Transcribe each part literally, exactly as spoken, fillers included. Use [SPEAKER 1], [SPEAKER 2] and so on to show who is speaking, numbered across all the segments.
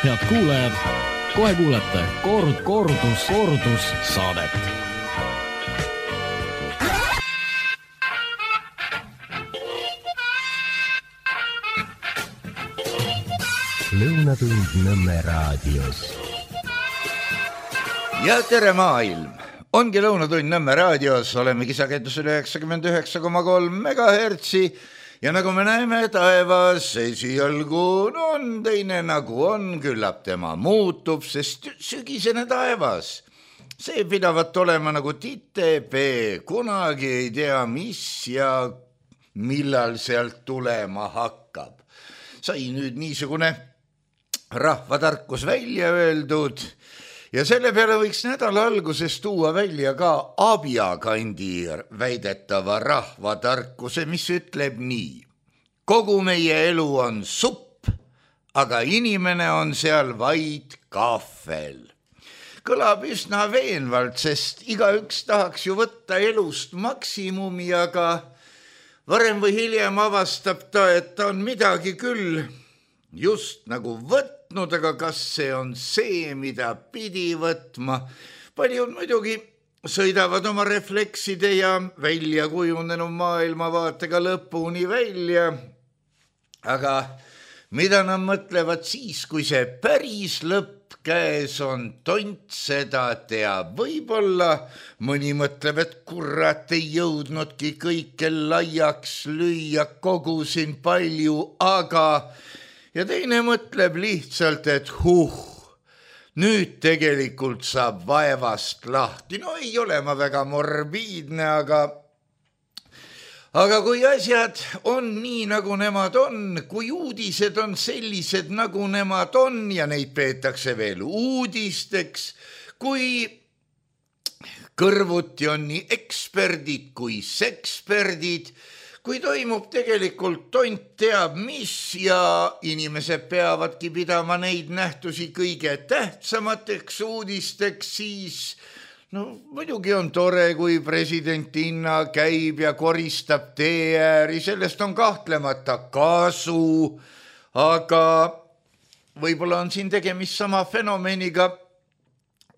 [SPEAKER 1] Head kuulajad, kohe kuulete kord, kordus, kordus saadet.
[SPEAKER 2] Lõunatund Nõmme raadios.
[SPEAKER 3] Ja tere maailm! Ongi Lõunatund Nõmme raadios, oleme kisakendusel üheksakümmend üheksa koma kolm megahertsi ja nagu me näeme taevas, esialgu on teine nagu on, küllap tema muutub, sest sügisene taevas. See pidavat olema nagu titepee, kunagi ei tea mis ja millal sealt tulema hakkab. Sai nüüd niisugune rahvatarkus välja öeldud ja selle peale võiks nädala alguses tuua välja ka Abjakandi väidetava rahvatarkuse, mis ütleb nii. Kogu meie elu on supp, aga inimene on seal vaid kahvel. Kõlab üsna veenvalt, sest igaüks tahaks ju võtta elust maksimumi, aga varem või hiljem avastab ta, et ta on midagi küll just nagu võtnud, aga kas see on see, mida pidi võtma? Paljud muidugi sõidavad oma reflekside ja välja kujunenud maailmavaatega lõpuni välja, aga mida nad mõtlevad siis, kui see päris lõpp käes on, tont seda teab. Võib-olla mõni mõtleb, et kurat ei jõudnudki kõike laiaks lüüa, kogusin palju, aga ja teine mõtleb lihtsalt, et huh, nüüd tegelikult saab vaevast lahti. No ei ole ma väga morbiidne, aga, aga kui asjad on nii, nagu nemad on, kui uudised on sellised, nagu nemad on ja neid peetakse veel uudisteks, kui kõrvuti on nii eksperdid kui seksperdid, kui toimub tegelikult tont teab mis ja inimesed peavadki pidama neid nähtusi kõige tähtsamateks uudisteks, siis no muidugi on tore, kui president Inna käib ja koristab tee ääri, sellest on kahtlemata kasu, aga võib-olla on siin tegemist sama fenomeniga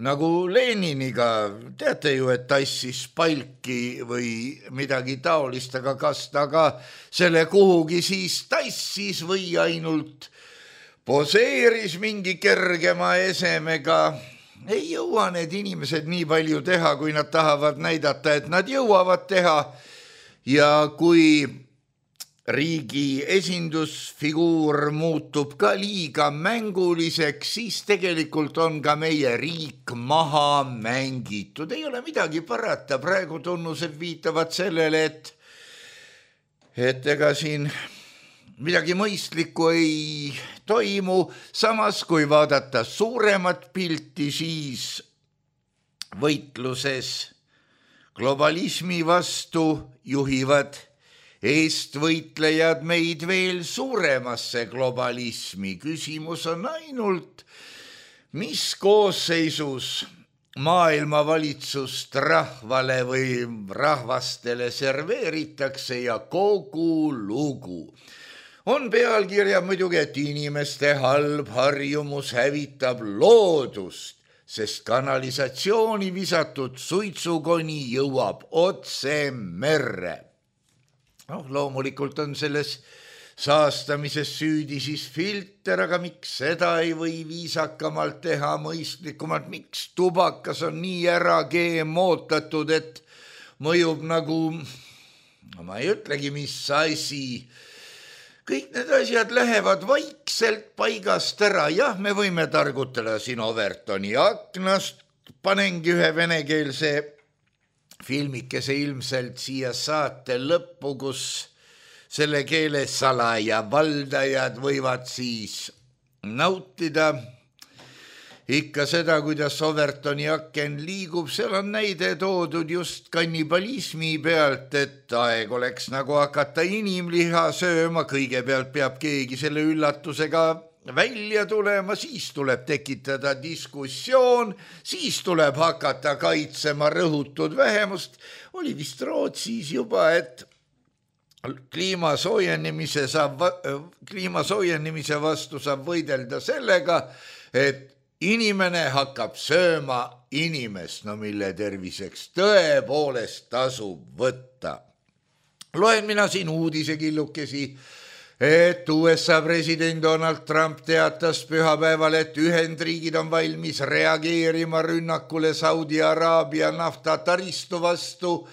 [SPEAKER 3] nagu Leniniga, teate ju, et tassis palki või midagi taolist, aga kas ta ka selle kuhugi siis tassis või ainult poseeris mingi kergema esemega. Ei jõua need inimesed nii palju teha, kui nad tahavad näidata, et nad jõuavad teha ja kui riigi esindusfiguur muutub ka liiga mänguliseks, siis tegelikult on ka meie riik maha mängitud. Ei ole midagi parata, praegu tunnused viitavad sellele, et, et ega siin midagi mõistlikku ei toimu. Samas, kui vaadata suuremat pilti, siis võitluses globalismi vastu juhivad eestvõitlejad meid veel suuremasse globalismi. Küsimus on ainult, mis koosseisus maailmavalitsust rahvale või rahvastele serveeritakse ja kogu lugu. On pealkirja muidugi, et inimeste halb harjumus hävitab loodust, sest kanalisatsiooni visatud suitsukoni jõuab otse merre. No, loomulikult on selles saastamises süüdi siis filter, aga miks seda ei või viisakamalt teha, mõistlikumalt, miks tubakas on nii ära geemootatud, et mõjub nagu, no ma ei ütlegi, mis asi. Kõik need asjad lähevad vaikselt paigast ära. Jah, me võime targutada siin Overtoni aknast, panengi ühe venekeelse filmikese ilmselt siia saate lõppu, kus selle keele salaja valdajad võivad siis nautida ikka seda, kuidas Overtoni aken liigub. Seal on näide toodud just kannibalismi pealt, et aeg oleks nagu hakata inimliha sööma. Kõigepealt peab keegi selle üllatusega välja tulema, siis tuleb tekitada diskussioon, siis tuleb hakata kaitsema rõhutud vähemust. Oli vist Rootsis juba, et kliima soojenemise, saab, kliima soojenemise vastu saab võidelda sellega, et inimene hakkab sööma inimest, no mille terviseks tõepoolest tasub võtta. Loen mina siin uudisekillukesi, et U S A president Donald Trump teatas pühapäeval, et Ühendriigid on valmis reageerima rünnakule Saudi Araabia naftataristu vastu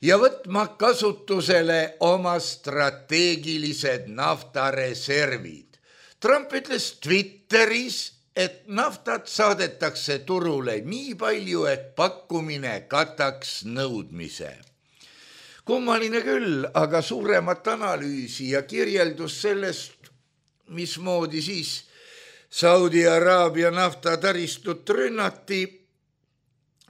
[SPEAKER 3] ja võtma kasutusele oma strateegilised naftareservid. Trump ütles Twitteris, et naftat saadetakse turule nii palju, et pakkumine kataks nõudmise. Kummaline küll, aga suuremat analüüsi ja kirjeldus sellest, mismoodi siis Saudi Araabia naftataristut rünnati,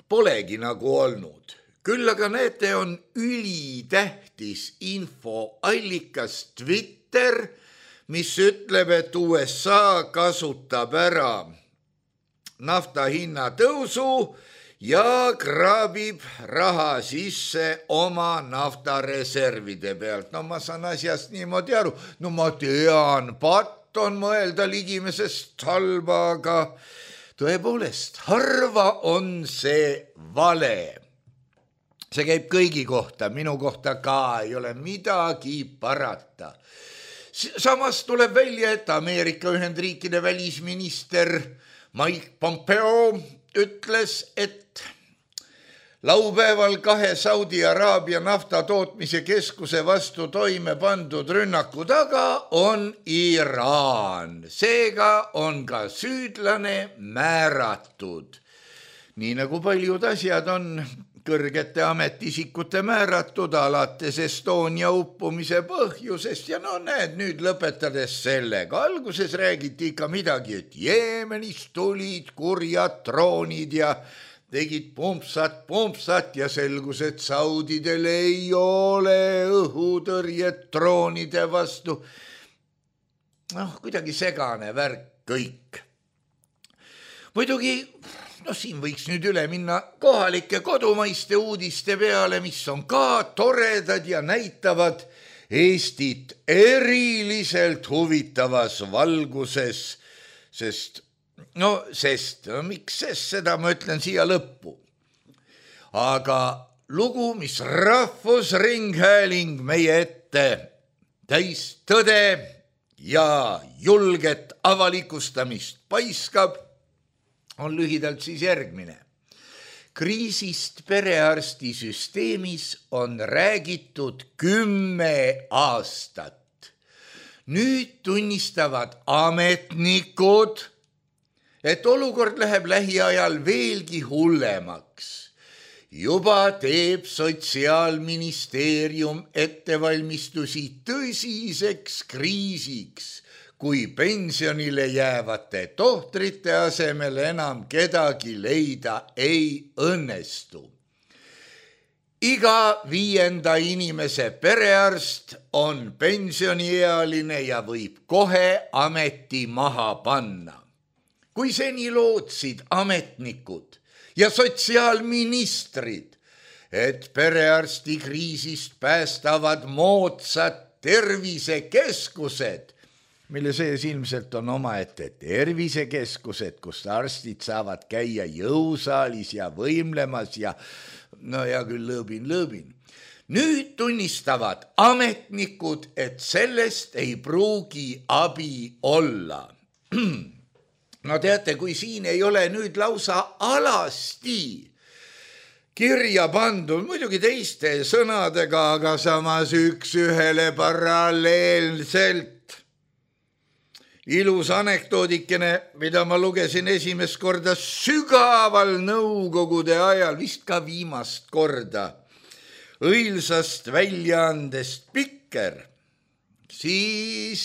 [SPEAKER 3] polegi nagu olnud. Küll aga näete, on ülitähtis infoallikas Twitter, mis ütleb, et U S A kasutab ära nafta hinna tõusu ja kraabib raha sisse oma naftareservide pealt. No ma saan asjast niimoodi aru. No ma tean, patt on mõelda ligimesest halba, aga tõepoolest, harva on see vale. See käib kõigi kohta, minu kohta ka, ei ole midagi parata. Samas tuleb välja, et Ameerika Ühendriikide välisminister Mike Pompeo ütles, et laupäeval kahe Saudi Araabia naftatootmise keskuse vastu toime pandud rünnaku taga on Iraan. Seega on ka süüdlane määratud. Nii nagu paljud asjad on kõrgete ametisikute määratud alates Estonia uppumise põhjusest ja no näed nüüd lõpetades sellega. Alguses räägiti ikka midagi, et Jeemenist tulid kurjad droonid ja tegid pumpsat, pumpsat ja selgus, et saudidel ei ole õhutõrjet droonide vastu. Noh, kuidagi segane värk kõik. Muidugi no siin võiks nüüd üle minna kohalike kodumaiste uudiste peale, mis on ka toredad ja näitavad Eestit eriliselt huvitavas valguses, sest, no sest, no miks sest, seda ma ütlen siia lõppu. Aga lugu, mis Rahvusringhääling meie ette täis tõde ja julget avalikustamist paiskab, on lühidalt siis järgmine. Kriisist perearstisüsteemis on räägitud kümme aastat. Nüüd tunnistavad ametnikud, et olukord läheb lähiajal veelgi hullemaks. Juba teeb Sotsiaalministeerium ettevalmistusi tõsiseks kriisiks, kui pensionile jäävate tohtrite asemel enam kedagi leida ei õnnestu. Iga viienda inimese perearst on pensioniealine ja võib kohe ameti maha panna. Kui seni lootsid ametnikud ja sotsiaalministrid, et perearsti kriisist päästavad moodsad tervisekeskused, mille sees ilmselt on omaette tervisekeskused, kus arstid saavad käia jõusaalis ja võimlemas ja no ja küll lõõbin, lõõbin. Nüüd tunnistavad ametnikud, et sellest ei pruugi abi olla. No teate, kui siin ei ole nüüd lausa alasti kirja pandud, muidugi teiste sõnadega, aga samas üks ühele paralleelselt. Ilus anekdoodikene, mida ma lugesin esimest korda sügaval nõukogude ajal, vist ka viimast korda, õilsast väljaandest Pikker, siis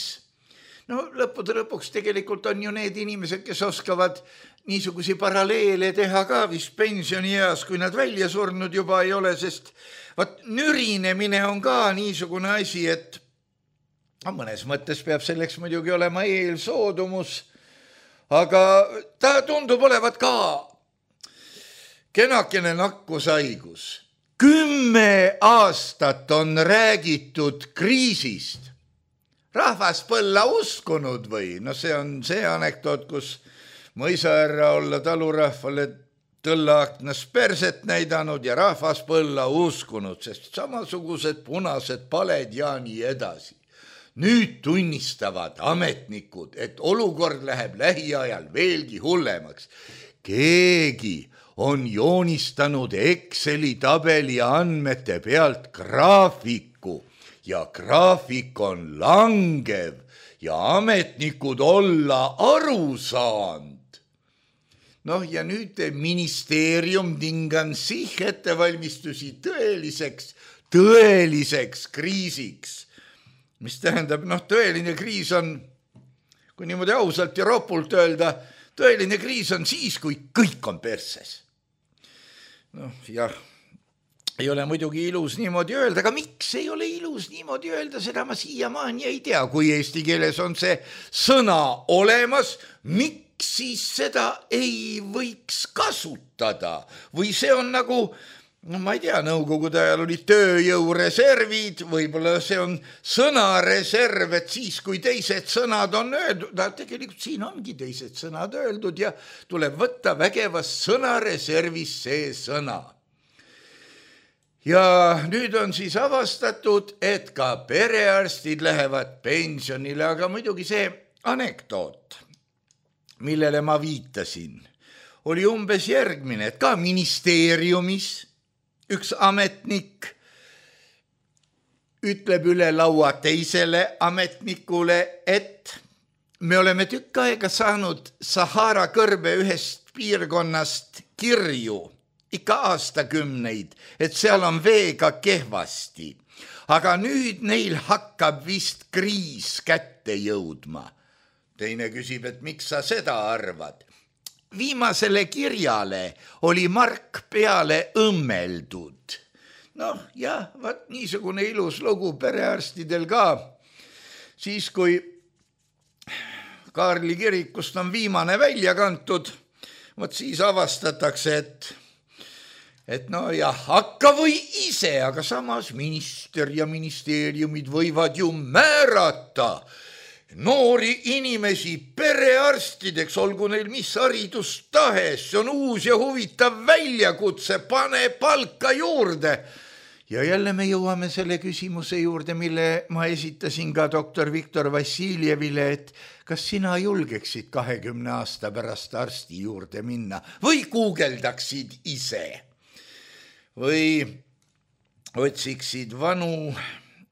[SPEAKER 3] no lõppude lõpuks tegelikult on ju need inimesed, kes oskavad niisugusi paralleele teha ka vist pensionieas, kui nad välja surnud juba ei ole, sest vaat nürinemine on ka niisugune asi, et mõnes mõttes peab selleks muidugi olema eelsoodumus, aga ta tundub olevat ka kenakene nakkushaigus. kümme aastat on räägitud kriisist. Rahvas põlla uskunud või? No see on see anekdoot, kus mõisaärra olla talurahvale tõllaaknas perset näidanud ja rahvas põlla uskunud, sest samasugused punased paled ja nii edasi. Nüüd tunnistavad ametnikud, et olukord läheb lähiajal veelgi hullemaks. Keegi on joonistanud Exceli tabeli andmete pealt graafiku ja graafik on langev ja ametnikud olla aru saanud. Noh, ja nüüd ministeerium tingan sich ettevalmistusi tõeliseks, tõeliseks kriisiks. Mis tähendab, noh, tõeline kriis on, kui niimoodi ausalt ja ropult öelda, tõeline kriis on siis, kui kõik on perses. Noh, jah, ei ole muidugi ilus niimoodi öelda, aga miks ei ole ilus niimoodi öelda, seda ma siiamaani ei tea, kui eesti keeles on see sõna olemas, miks siis seda ei võiks kasutada või see on nagu, no ma ei tea, nõukogude ajal oli tööjõureservid, võib-olla see on sõnareserv, et siis kui teised sõnad on öeldud, tegelikult siin ongi teised sõnad öeldud ja tuleb võtta vägevast sõnareservist see sõna. Ja nüüd on siis avastatud, et ka perearstid lähevad pensionile, aga muidugi see anekdoot, millele ma viitasin, oli umbes järgmine, et ka ministeeriumis üks ametnik ütleb üle laua teisele ametnikule, et me oleme tükk aega saanud Sahara kõrbe ühest piirkonnast kirju, ikka aastakümneid, et seal on veega kehvasti, aga nüüd neil hakkab vist kriis kätte jõudma. Teine küsib, et miks sa seda arvad? Viimasele kirjale oli mark peale õmmeldud. Noh, jah, vaat niisugune ilus lugu perearstidel ka. Siis, kui Kaarli kirikust on viimane välja kantud, vot siis avastatakse, et, et no jah, hakka või ise, aga samas minister ja ministeeriumid võivad ju määrata noori inimesi perearstideks, olgu neil mis haridus tahes, see on uus ja huvitav väljakutse, pane palka juurde. Ja jälle me jõuame selle küsimuse juurde, mille ma esitasin ka doktor Viktor Vassiljevile, et kas sina julgeksid kahekümne aasta pärast arsti juurde minna või guugeldaksid ise või otsiksid vanu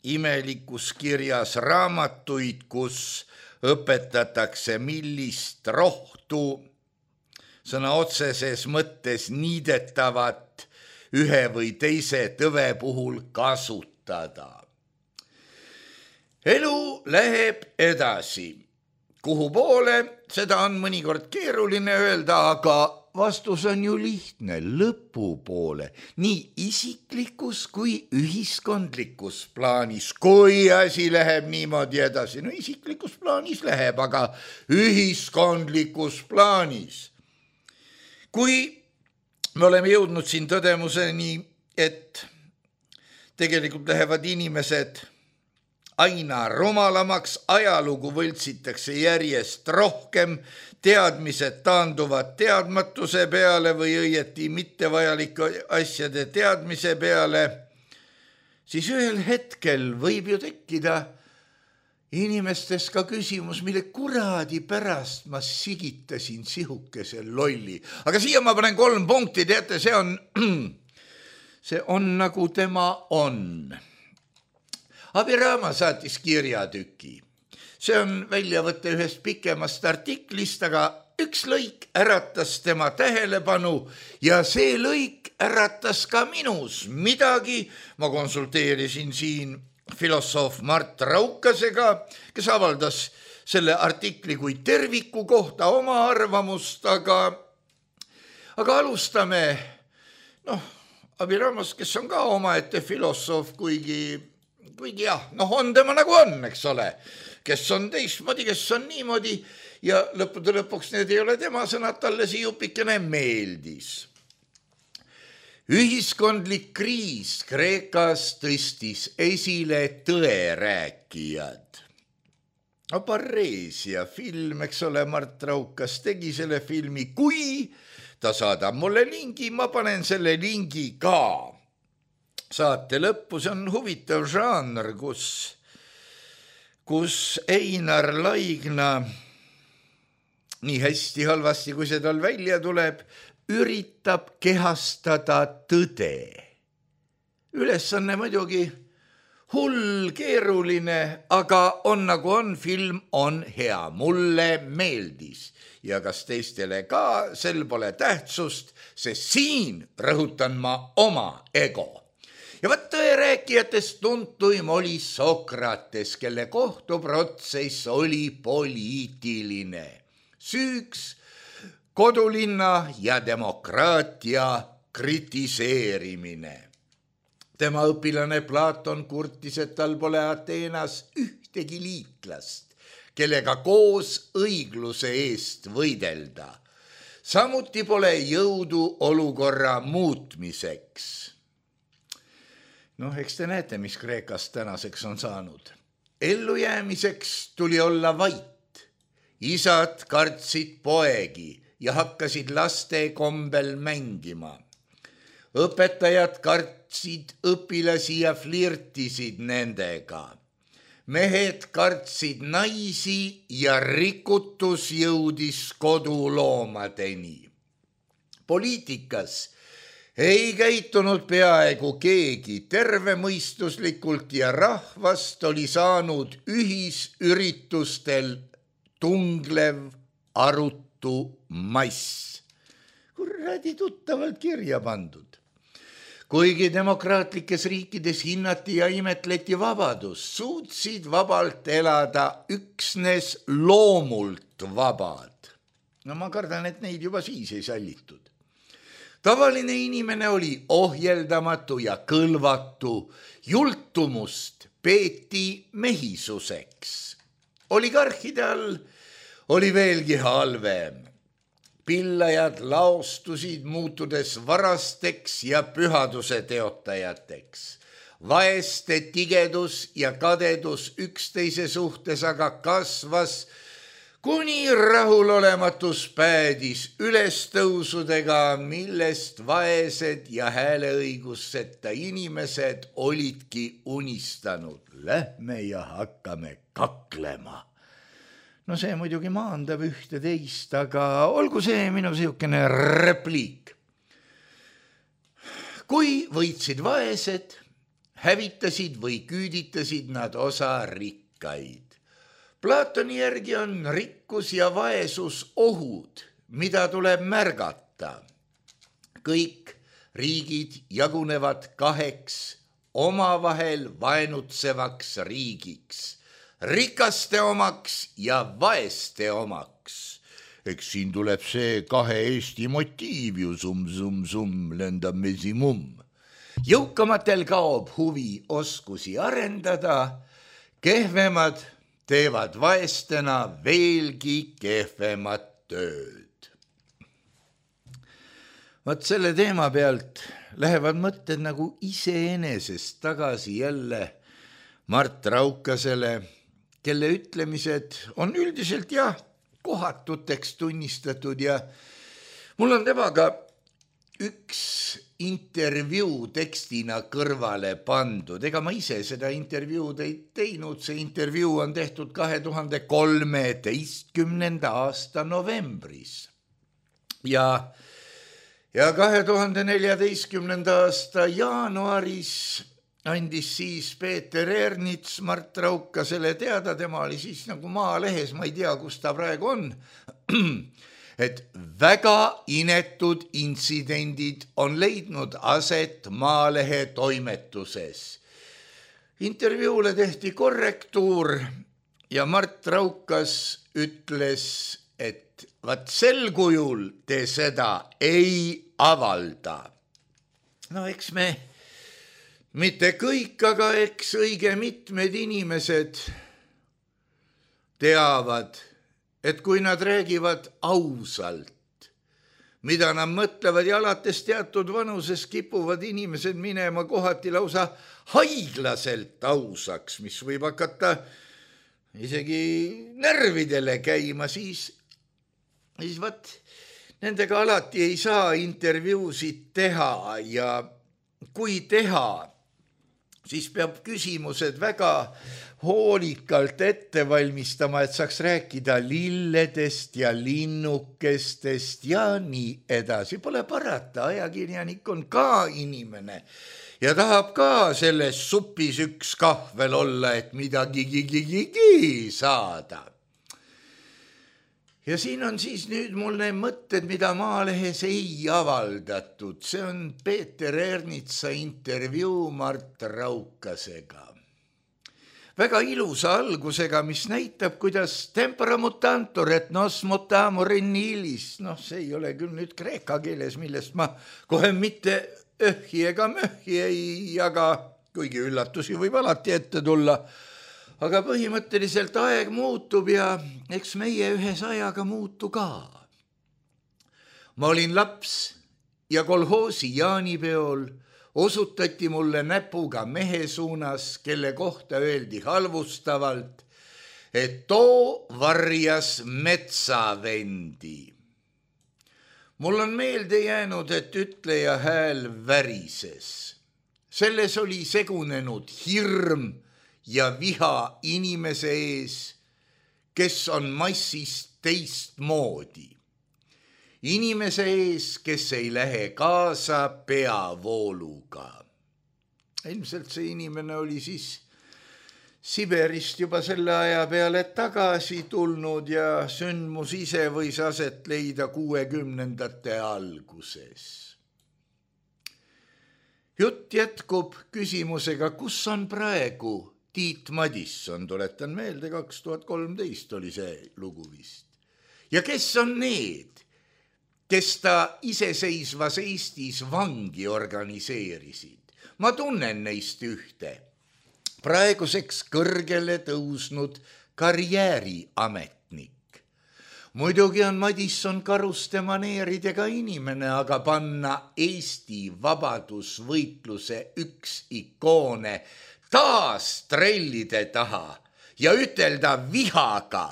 [SPEAKER 3] imelikus kirjas raamatuid, kus õpetatakse, millist rohtu sõna otseses mõttes niidetavat ühe või teise tõve puhul kasutada. Elu läheb edasi. Kuhu poole, seda on mõnikord keeruline öelda, aga vastus on ju lihtne, lõpupoole, nii isiklikus kui ühiskondlikus plaanis, kui asi läheb niimoodi edasi. No isiklikus plaanis läheb, aga ühiskondlikus plaanis. Kui me oleme jõudnud siin tõdemuseni, et tegelikult lähevad inimesed aina rumalamaks, ajalugu võltsitakse järjest rohkem, teadmised taanduvad teadmatuse peale või õieti mittevajalike asjade teadmise peale, siis ühel hetkel võib ju tekkida inimestes ka küsimus, mille kuradi pärast ma sigitasin sihukese lolli. Aga siia ma panen kolm punkti, teate, see on, see on nagu tema on. Abiraama saatis kirjatüki. See on väljavõte ühest pikemast artiklist, aga üks lõik äratas tema tähelepanu ja see lõik äratas ka minus midagi. Ma konsulteerisin siin filosoof Mart Raukasega, kes avaldas selle artikli kui terviku kohta oma arvamust, aga, aga alustame noh, Abiraamast, kes on ka omaette filosoof, kuigi kuigi jah, noh on tema nagu on, eks ole, kes on teistmoodi, kes on niimoodi ja lõppude lõpuks need ei ole tema sõnad, talle see jupikene meeldis. Ühiskondlik kriis Kreekas tõstis esile tõerääkijad. Apareesia film, eks ole, Mart Raukas tegi selle filmi. Kui ta saadab mulle lingi, ma panen selle lingi ka. Saate lõppu, see on huvitav žanr, kus, kus Einar Laigna nii hästi halvasti, kui see tal välja tuleb, üritab kehastada tõde. Ülesanne muidugi hull, keeruline, aga on nagu on, film on hea. Mulle meeldis ja kas teistele ka, sel pole tähtsust, sest siin rõhutan ma oma ego. Ja vaat tõerääkijatest tuntuim oli Sokrates, kelle kohtuprotsess oli poliitiline. Süüks kodulinna ja demokraatia kritiseerimine. Tema õpilane Platon kurtis, et tal pole Ateenas ühtegi liitlast, kellega koos õigluse eest võidelda. Samuti pole jõudu olukorra muutmiseks. Noh, eks te näete, mis Kreekast tänaseks on saanud. Ellujäämiseks tuli olla vait. Isad kartsid poegi ja hakkasid laste kombel mängima. Õpetajad kartsid õpilasi ja flirtisid nendega. Mehed kartsid naisi ja rikutus jõudis koduloomadeni. Poliitikas ei käitunud peaaegu keegi tervemõistuslikult ja rahvast oli saanud ühisüritustel tunglev arutu mass. Kuradi tuttavalt kirja pandud. Kuigi demokraatlikes riikides hinnati ja imetleti vabadus, suutsid vabalt elada üksnes loomult vabad. No ma kardan, et neid juba siis ei sallitud. Tavaline inimene oli ohjeldamatu ja kõlvatu, jultumust peeti mehisuseks. Oligarhide all oli veelgi halvem. Pillajad laostusid muutudes varasteks ja pühaduse teotajateks. Vaeste tigedus ja kadedus üksteise suhtes aga kasvas, kuni rahulolematus päädis ülestõusudega, millest vaesed ja hääleõigusseta inimesed olidki unistanud. Lähme ja hakkame kaklema. No see muidugi maandab ühte teist, aga olgu see minu siukene repliik. Kui võitsid vaesed, hävitasid või küüditasid nad osa rikkaid. Platoni järgi on rikkus ja vaesus ohud, mida tuleb märgata. Kõik riigid jagunevad kaheks omavahel vaenutsevaks riigiks. Rikaste omaks ja vaeste omaks. Eks siin tuleb see kahe Eesti motiiv ju sum, sum, sum, lendab mesimum. Jõukamatel kaob huvi oskusi arendada, kehvemad teevad vaestena veelgi kehvemat tööd. Vaat selle teema pealt lähevad mõtted nagu iseenesest tagasi jälle Mart Raukasele, kelle ütlemised on üldiselt jah, kohatuteks tunnistatud ja mul on temaga üks intervjuu tekstina kõrvale pandud. Ega ma ise seda intervjuud ei teinud, see intervjuu on tehtud kahe tuhande kolmeteistkümnenda aasta novembris. Ja, ja kahe tuhande neljateistkümnenda aasta jaanuaris andis siis Peeter Ernits Mart Raukasele teada, tema oli siis nagu Maalehes, ma ei tea, kus ta praegu on, et väga inetud intsidendid on leidnud aset Maalehe toimetuses. Intervjuule tehti korrektuur ja Mart Raukas ütles, et vaat sel kujul te seda ei avalda. No eks me mitte kõik, aga eks õige mitmed inimesed teavad, et kui nad räägivad ausalt, mida nad mõtlevad ja alates teatud vanuses kipuvad inimesed minema kohati lausa haiglaselt ausaks, mis võib hakata isegi närvidele käima, siis, siis vaat nendega alati ei saa intervjuusid teha ja kui teha, siis peab küsimused väga hoolikalt ette valmistama, et saaks rääkida lilledest ja linnukestest ja nii edasi. Pole parata, ajakirjanik on ka inimene ja tahab ka selles supis üks kahvel olla, et midagi gigi saada. Ja siin on siis nüüd mul need mõtted, mida Maalehes ei avaldatud. See on Peeter Ernitsa intervjuu Mart Raukasega. Väga ilusa algusega, mis näitab, kuidas tempora mutantur, et nos mutamur in illis. Noh, see ei ole küll nüüd kreeka keeles, millest ma kohe mitte öhhi ega möhhi ei jaga, kuigi üllatusi võib alati ette tulla. Aga põhimõtteliselt aeg muutub ja eks meie ühes ajaga muutu ka. Ma olin laps ja kolhoosi jaanipeol osutati mulle näpuga mehe suunas, kelle kohta öeldi halvustavalt, et too varjas metsavendi. Mul on meelde jäänud, et ütleja hääl värises. Selles oli segunenud hirm ja viha inimese ees, kes on massist teistmoodi. Inimese ees, kes ei lähe kaasa peavooluga. Ilmselt see inimene oli siis Siberist juba selle aja peale tagasi tulnud ja sündmus ise võis aset leida kuuekümnendate alguses. Jutt jätkub küsimusega, kus on praegu Tiit Madisson, tuletan meelde, kaks tuhat kolmteist oli see lugu vist. Ja kes on need, kes ta iseseisvas Eestis vangi organiseerisid? Ma tunnen neist ühte. Praeguseks kõrgele tõusnud karjääriametnik. Muidugi on Madisson karuste maneeridega inimene, aga panna Eesti vabadusvõitluse üks ikoone taas trellide taha ja ütelda vihaga,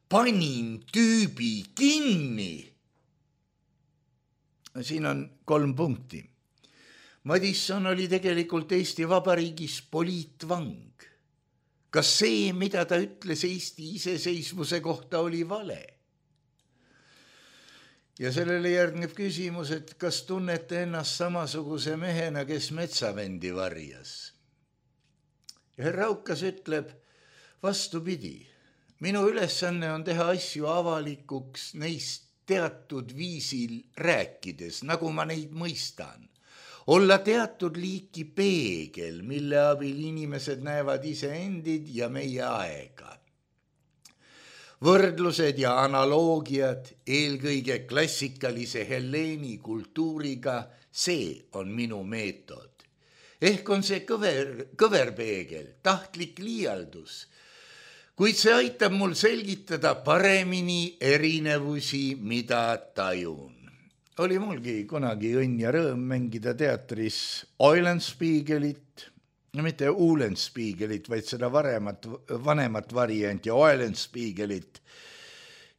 [SPEAKER 3] panin tüübi kinni. Siin on kolm punkti. Madisson oli tegelikult Eesti Vabariigis poliitvang. Kas see, mida ta ütles Eesti iseseisvuse kohta, oli vale? Ja sellele järgneb küsimus, et kas tunnete ennast samasuguse mehena, kes metsavendi varjas? Ja herr Raukas ütleb, vastupidi, minu ülesanne on teha asju avalikuks neist teatud viisil rääkides, nagu ma neid mõistan. Olla teatud liiki peegel, mille abil inimesed näevad iseendid ja meie aega. Võrdlused ja analoogiad eelkõige klassikalise Helleeni kultuuriga, see on minu meetod. Ehk on see kõver, kõverpeegel, tahtlik liialdus, kuid see aitab mul selgitada paremini erinevusi, mida tajun. Oli mulgi kunagi õnn ja rõõm mängida teatris Eulenspiegelit, no mitte Uhlenspiegelit, vaid seda varemat, vanemat varianti Eulenspiegelit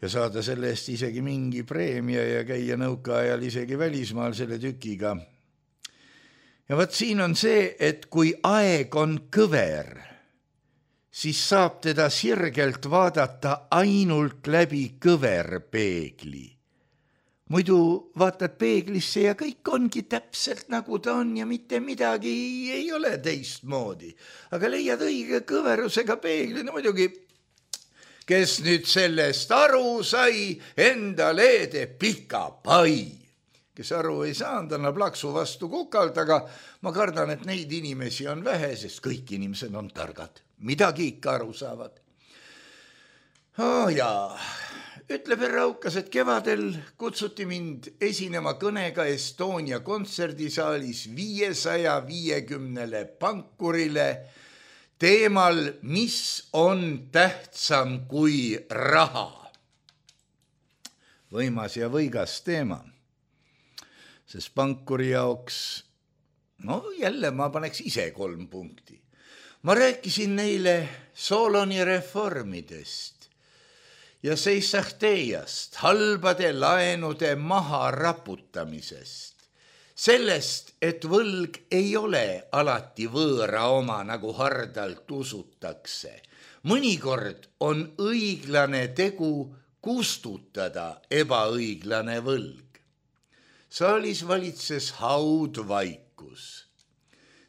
[SPEAKER 3] ja saada selle eest isegi mingi preemia ja käia nõukaajal isegi välismaal selle tükiga. Ja võt siin on see, et kui aeg on kõver, siis saab teda sirgelt vaadata ainult läbi kõverpeegli. Muidu vaatad peeglisse ja kõik ongi täpselt nagu ta on ja mitte midagi ei ole teistmoodi. Aga leiad õige kõverusega peegli, no muidugi, kes nüüd sellest aru sai, endale teeb pika pai. Kes aru ei saanud, annab laksu vastu kukalt, aga ma kardan, et neid inimesi on vähe, sest kõik inimesed on targad. Midagi ikka aru saavad. Oh jaa, ütleb herr Raukas, et kevadel kutsuti mind esinema kõnega Estonia kontserdisaalis viiesaja viiekümnele pankurile teemal, mis on tähtsam kui raha. Võimas ja võigas teema. sest pankuri jaoks, no jälle ma paneks ise kolm punkti. Ma rääkisin neile Soloni reformidest ja seissahteiast, halbade laenude maha raputamisest, sellest, et võlg ei ole alati võõra oma, nagu hardalt usutakse. Mõnikord on õiglane tegu kustutada ebaõiglane võlg. Saalis valitses haudvaikus.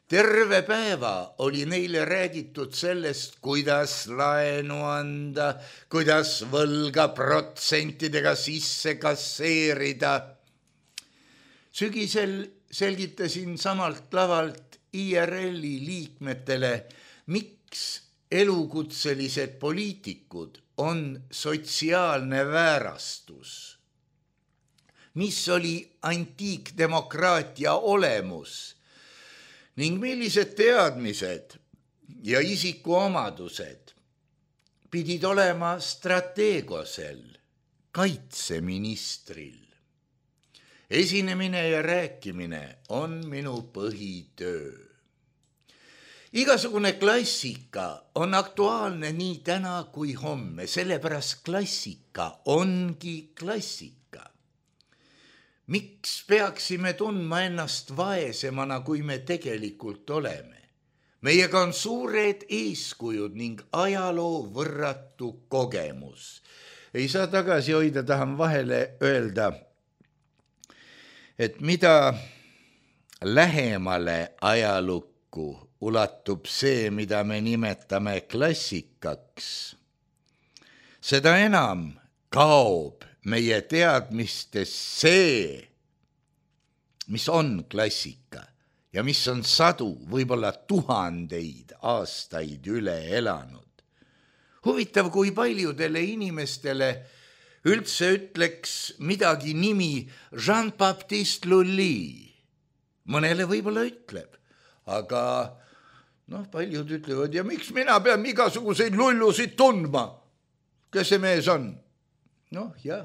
[SPEAKER 3] Terve päeva oli neile räägitud sellest, kuidas laenu anda, kuidas võlga protsentidega sisse kasseerida. Sügisel selgitasin samalt lavalt I R L-i liikmetele, miks elukutselised poliitikud on sotsiaalne väärastus, mis oli antiikdemokraatia olemus ning millised teadmised ja isikuomadused pidid olema strateegosel kaitseministril. Esinemine ja rääkimine on minu põhitöö. Igasugune klassika on aktuaalne nii täna kui homme, sellepärast klassika ongi klassika. Miks peaksime tundma ennast vaesemana, kui me tegelikult oleme? Meiega on suured eeskujud ning ajaloo võrratu kogemus. Ei saa tagasi hoida, tahan vahele öelda, et mida lähemale ajalukku ulatub see, mida me nimetame klassikaks, seda enam kaob meie teadmistes see, mis on klassika ja mis on sadu, võib-olla tuhandeid aastaid üle elanud. Huvitav, kui paljudele inimestele üldse ütleks midagi nimi Jean-Baptiste Lully. Mõnele võib-olla ütleb, aga noh, paljud ütlevad, ja miks mina pean igasuguseid lullusid tundma? Kes see mees on? Noh, jah.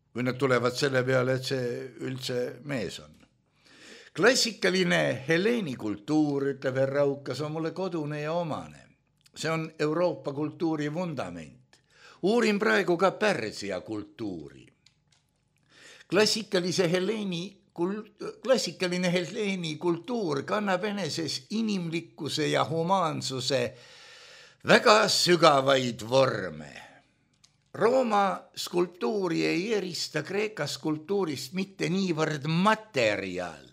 [SPEAKER 3] Kui nad tulevad selle peale, et see üldse mees on. Klassikaline Heleeni kultuur, ütleb herra Raukas, on mulle kodune ja omane. See on Euroopa kultuuri vundament. Uurin praegu ka Pärsia kultuuri. Klassikalise Heleeni Klassikaline Heleeni kultuur kannab eneses inimlikkuse ja humaansuse väga sügavaid vorme. Rooma skulptuuri ei erista Kreeka skulptuurist mitte niivõrd materjal,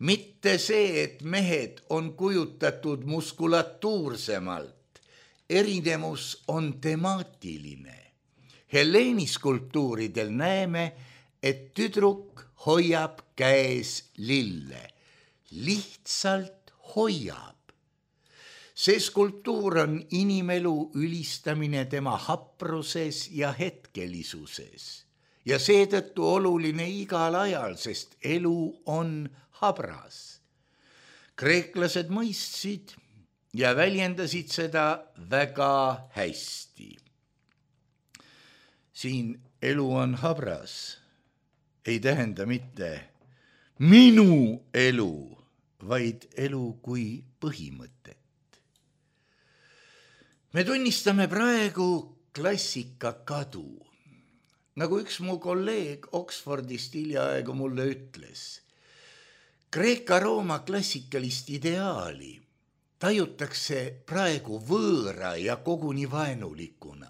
[SPEAKER 3] mitte see, et mehed on kujutatud muskulatuursemalt. Erinevus on temaatiline. Heleeni skulptuuridel näeme, et tüdruk hoiab käes lille. Lihtsalt hoiab. See skulptuur on inimelu ülistamine tema hapruses ja hetkelisuses. Ja seetõttu oluline igal ajal, sest elu on habras. Kreeklased mõistsid ja väljendasid seda väga hästi. Siin elu on habras ei tähenda mitte minu elu, vaid elu kui põhimõtet. Me tunnistame praegu klassika kadu. Nagu üks mu kolleeg Oxfordist hiljaaegu mulle ütles, Kreeka-Rooma klassikalist ideaali tajutakse praegu võõra ja koguni vaenulikuna.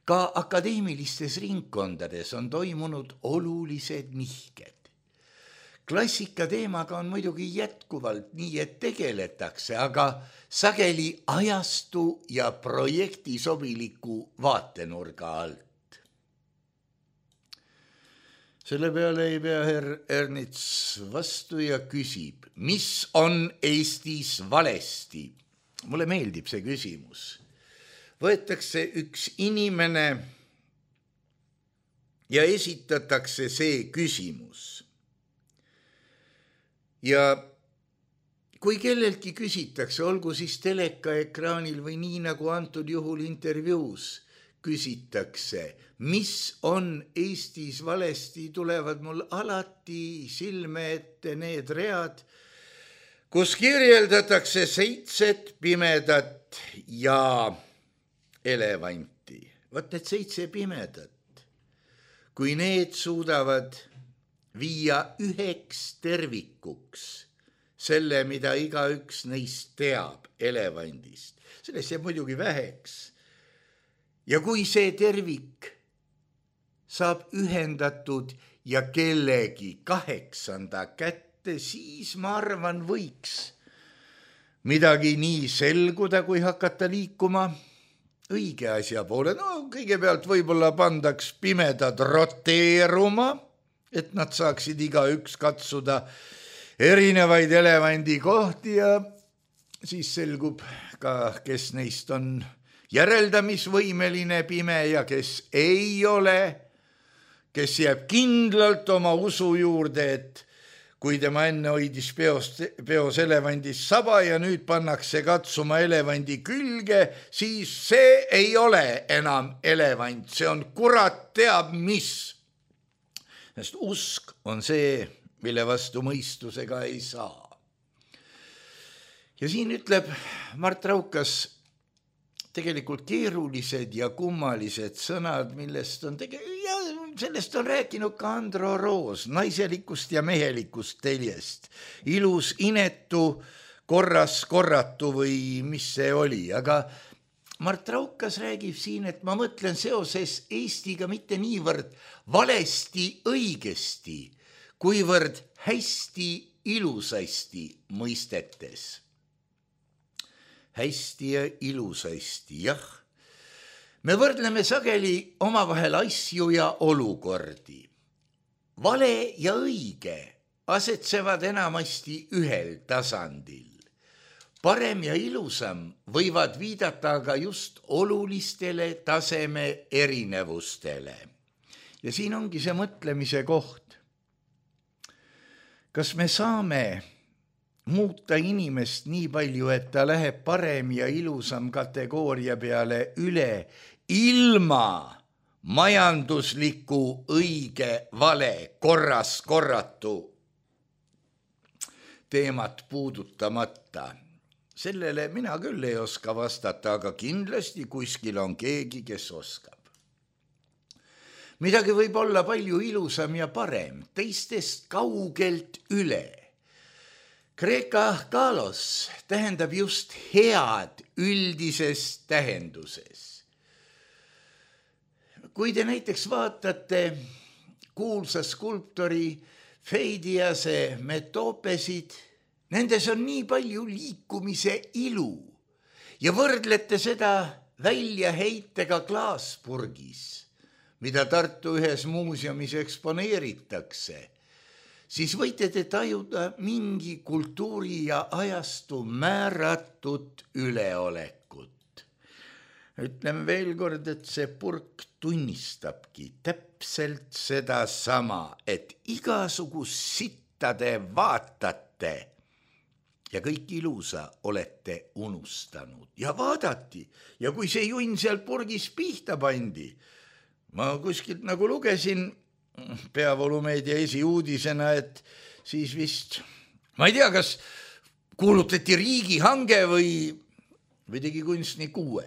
[SPEAKER 3] Ka akadeemilistes ringkondades on toimunud olulised nihked. Klassika teemaga on muidugi jätkuvalt nii, et tegeletakse, aga sageli ajastu ja projekti sobiliku vaatenurga alt. Selle peale ei pea herr Ernits vastu ja küsib, mis on Eestis valesti? Mulle meeldib see küsimus. Võetakse üks inimene ja esitatakse see küsimus. Ja kui kelleltki küsitakse, olgu siis telekaekraanil või nii nagu antud juhul intervjuus, küsitakse, mis on Eestis valesti, tulevad mul alati silme ette need read, kus kirjeldatakse seitset pimedat ja elevanti. Vaat need seitse pimedat, kui need suudavad viia üheks tervikuks selle, mida igaüks neist teab elevandist, sellest jääb muidugi väheks. Ja kui see tervik saab ühendatud ja kellegi kaheksanda kätte, siis ma arvan, võiks midagi nii selguda, kui hakata liikuma õige asja poole. No kõigepealt võib-olla pandaks pimedad roteeruma, et nad saaksid igaüks katsuda erinevaid elevandi kohti ja siis selgub ka, kes neist on järeldamisvõimeline pime ja kes ei ole, kes jääb kindlalt oma usu juurde, et kui tema enne hoidis peost, peos elevandis saba ja nüüd pannakse katsuma elevandi külge, siis see ei ole enam elevant, see on kurat teab mis. Sest usk on see, mille vastu mõistusega ei saa. Ja siin ütleb Mart Raukas tegelikult keerulised ja kummalised sõnad, millest on tege- ja sellest on rääkinud ka Andro Roos, naiselikust ja mehelikust teljest. Ilus, inetu, korras, korratu või mis see oli, aga Mart Raukas räägib siin, et ma mõtlen seoses Eestiga mitte niivõrd valesti õigesti, kuivõrd hästi ilusasti mõistetes. Hästi ja ilusasti, jah. Me võrdleme sageli omavahel asju ja olukordi. Vale ja õige asetsevad enamasti ühel tasandil. Parem ja ilusam võivad viidata aga just olulistele taseme erinevustele. Ja siin ongi see mõtlemise koht. Kas me saame muuta inimest nii palju, et ta läheb parem ja ilusam kategooria peale üle ilma majandusliku õige vale korras korratu teemat puudutamata? Sellele mina küll ei oska vastata, aga kindlasti kuskil on keegi, kes oskab. Midagi võib olla palju ilusam ja parem, teistest kaugelt üle. Kreeka kalos tähendab just head üldises tähenduses. Kui te näiteks vaatate kuulsa skulptori Feidiase Metopesid, nendes on nii palju liikumise ilu ja võrdlete seda väljaheitega klaaspurgis, mida Tartu ühes muuseumis eksponeeritakse, siis võite te tajuda mingi kultuuri ja ajastu määratud üleolekut. Ütlen veel kord, et see purk tunnistabki täpselt seda sama, et igasugust sitta te vaatate ja kõik ilusa olete unustanud. Ja vaadati, ja kui see junn seal purgis pihta pandi, ma kuskilt nagu lugesin Peavoolumeedia esiuudisena, et siis vist, ma ei tea, kas kuulutati riigihange või, või tegi kunstnik uue.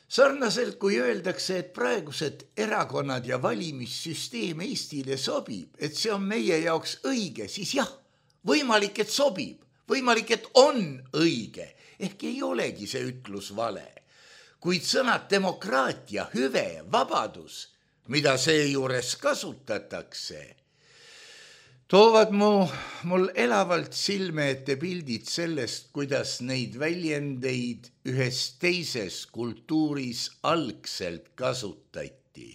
[SPEAKER 3] Sarnaselt kui öeldakse, et praegused erakonnad ja valimissüsteem Eestile sobib, et see on meie jaoks õige, siis jah, võimalik, et sobib, võimalik, et on õige, ehk ei olegi see ütlus vale. Kuid sõnad demokraatia, hüve, vabadus, mida seejuures kasutatakse, toovad mu, mul elavalt silme ette pildid sellest, kuidas neid väljendeid ühes teises kultuuris algselt kasutati.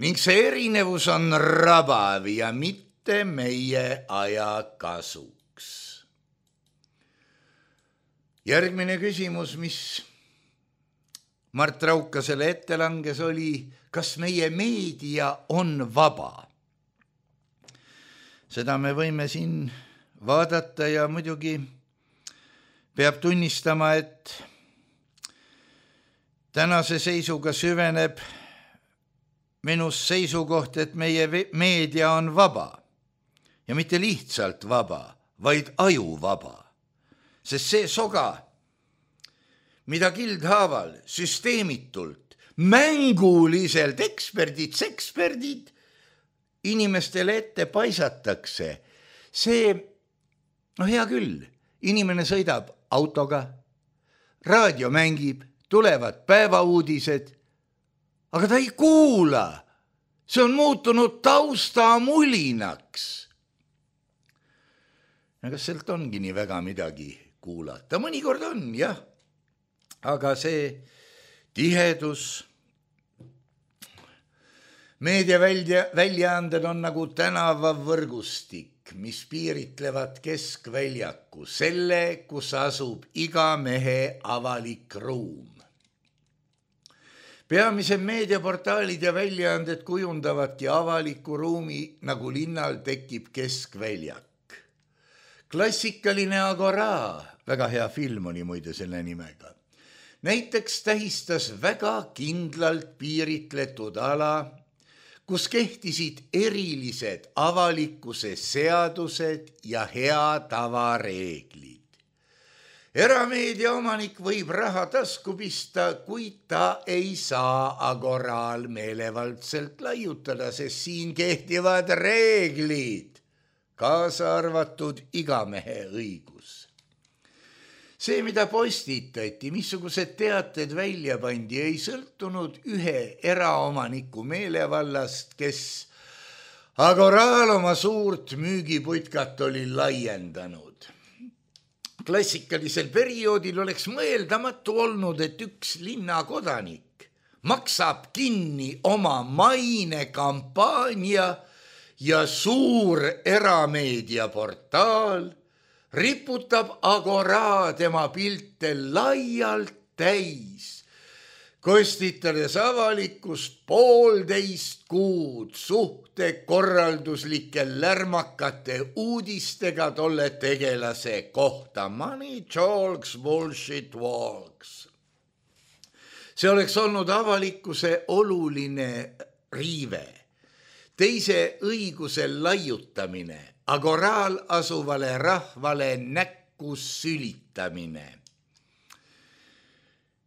[SPEAKER 3] Ning see erinevus on rabav ja mitte meie aja kasuks. Järgmine küsimus, mis Mart Raukasele ette langes, oli, kas meie meedia on vaba? Seda me võime siin vaadata ja muidugi peab tunnistama, et tänase seisuga süveneb minus seisukoht, et meie meedia on vaba ja mitte lihtsalt vaba, vaid ajuvaba, sest see soga, mida kildhaaval, süsteemitult, mänguliselt eksperdid, seksperdid inimestele ette paisatakse, see, no hea küll, inimene sõidab autoga, raadio mängib, tulevad päevauudised, aga ta ei kuula, see on muutunud taustamulinaks. Ja kas sealt ongi nii väga midagi kuulata? Mõnikord on, jah, aga see tihedus, meediaväljaanded on nagu tänavavõrgustik, mis piiritlevad keskväljaku, selle, kus asub iga mehe avalik ruum. Peamise meediaportaalid ja väljaanded kujundavadki avaliku ruumi, nagu linnal tekib keskväljak. Klassikaline Agora, väga hea film oli muide selle nimega, näiteks tähistas väga kindlalt piiritletud ala, kus kehtisid erilised avalikkuse seadused ja hea tavareeglid. Erameedia omanik võib raha tasku pista, kuid ta ei saa Agoral meelevaldselt laiutada, sest siin kehtivad reeglid, kaasa arvatud igamehe õigus. See, mida postitati, missugused teated välja pandi, ei sõltunud ühe eraomaniku meelevallast, kes Agoral oma suurt müügiputkat oli laiendanud. Klassikalisel perioodil oleks mõeldamatu olnud, et üks linnakodanik maksab kinni oma mainekampaania ja suur erameediaportaal riputab Agora tema pilte laialt täis, kostitades avalikkust poolteist kuud suhte korralduslike lärmakate uudistega tolle tegelase kohta. Money talks, bullshit walks. See oleks olnud avalikkuse oluline riive, teise õiguse laiutamine, Agoral asuvale rahvale näkku sülitamine.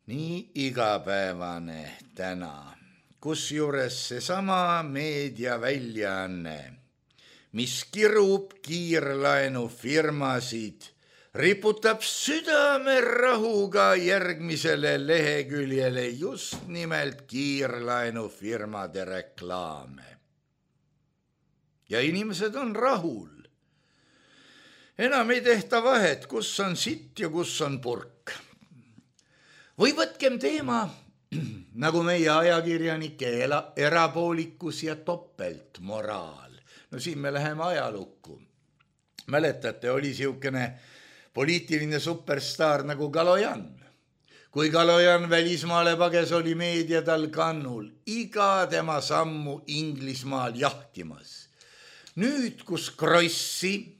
[SPEAKER 3] Nii igapäevane täna, kus juures seesama meediaväljaanne, mis kirub kiirlaenufirmasid, riputab südamerahuga järgmisele leheküljele just nimelt kiirlaenufirmade reklaame. Ja inimesed on rahul. Enam ei tehta vahet, kus on sitt ja kus on purk. Või võtkem teema, nagu meie ajakirjanike erapoolikus ja topeltmoraal. No siin me läheme ajalukku. Mäletate, oli siukene poliitiline superstaar nagu Kalojan. Kui Kalojan välismaale pages, oli meedia tal kannul iga tema sammu Inglismaal jahtimas. Nüüd, kus Krossi,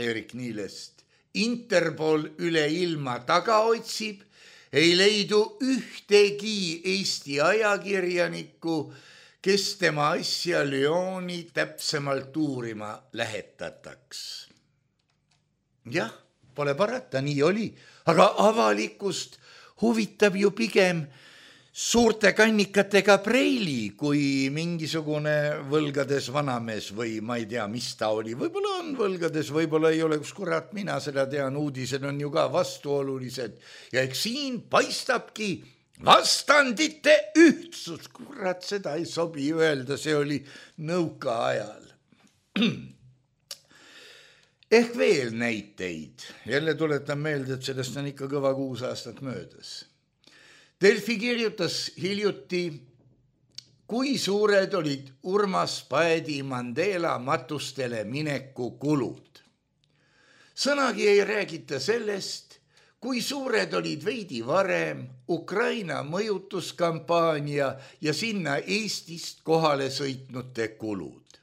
[SPEAKER 3] Erik Niilest, Interpol üle ilma taga otsib, ei leidu ühtegi Eesti ajakirjanikku, kes tema asja Lyoni täpsemalt uurima lähetataks. Jah, pole parata, nii oli, aga avalikkust huvitab ju pigem suurte kannikatega preili, kui mingisugune võlgades vanamees või ma ei tea, mis ta oli. Võib-olla on võlgades, võib-olla ei ole, kus kurat mina seda tean, uudised on ju ka vastuolulised. Ja eks siin paistabki vastandite ühtsus. Kurat, seda ei sobi öelda, see oli nõuka ajal. Ehk veel näiteid. Jälle tuletan meelde, et sellest on ikka kõva kuus aastat möödas. Delfi kirjutas hiljuti, kui suured olid Urmas Paeti Mandela matustele mineku kulud. Sõnagi ei räägita sellest, kui suured olid veidi varem Ukraina mõjutuskampaania ja sinna Eestist kohale sõitnute kulud.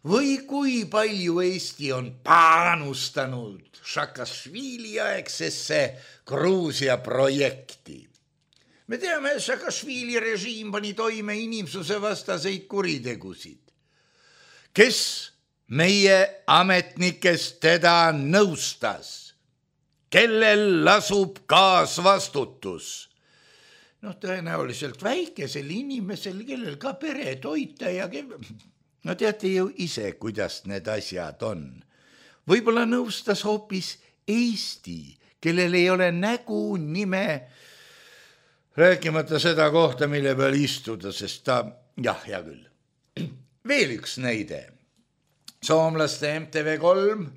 [SPEAKER 3] Või kui palju Eesti on panustanud Šakašvili aegsesse Gruusia projekti. me teame, Saakašvili režiim pani toime inimsuse vastaseid kuritegusid. Kes meie ametnikest teda nõustas? Kellel lasub kaasvastutus? noh, tõenäoliselt väikesel inimesel, kellel ka pere toita ja kel... no teate ju ise, kuidas need asjad on. Võib-olla nõustas hoopis Eesti, kellel ei ole nägu, nime, rääkimata seda kohta, mille peal istuda, sest ta, jah, hea küll. Veel üks näide. Soomlaste M T V kolm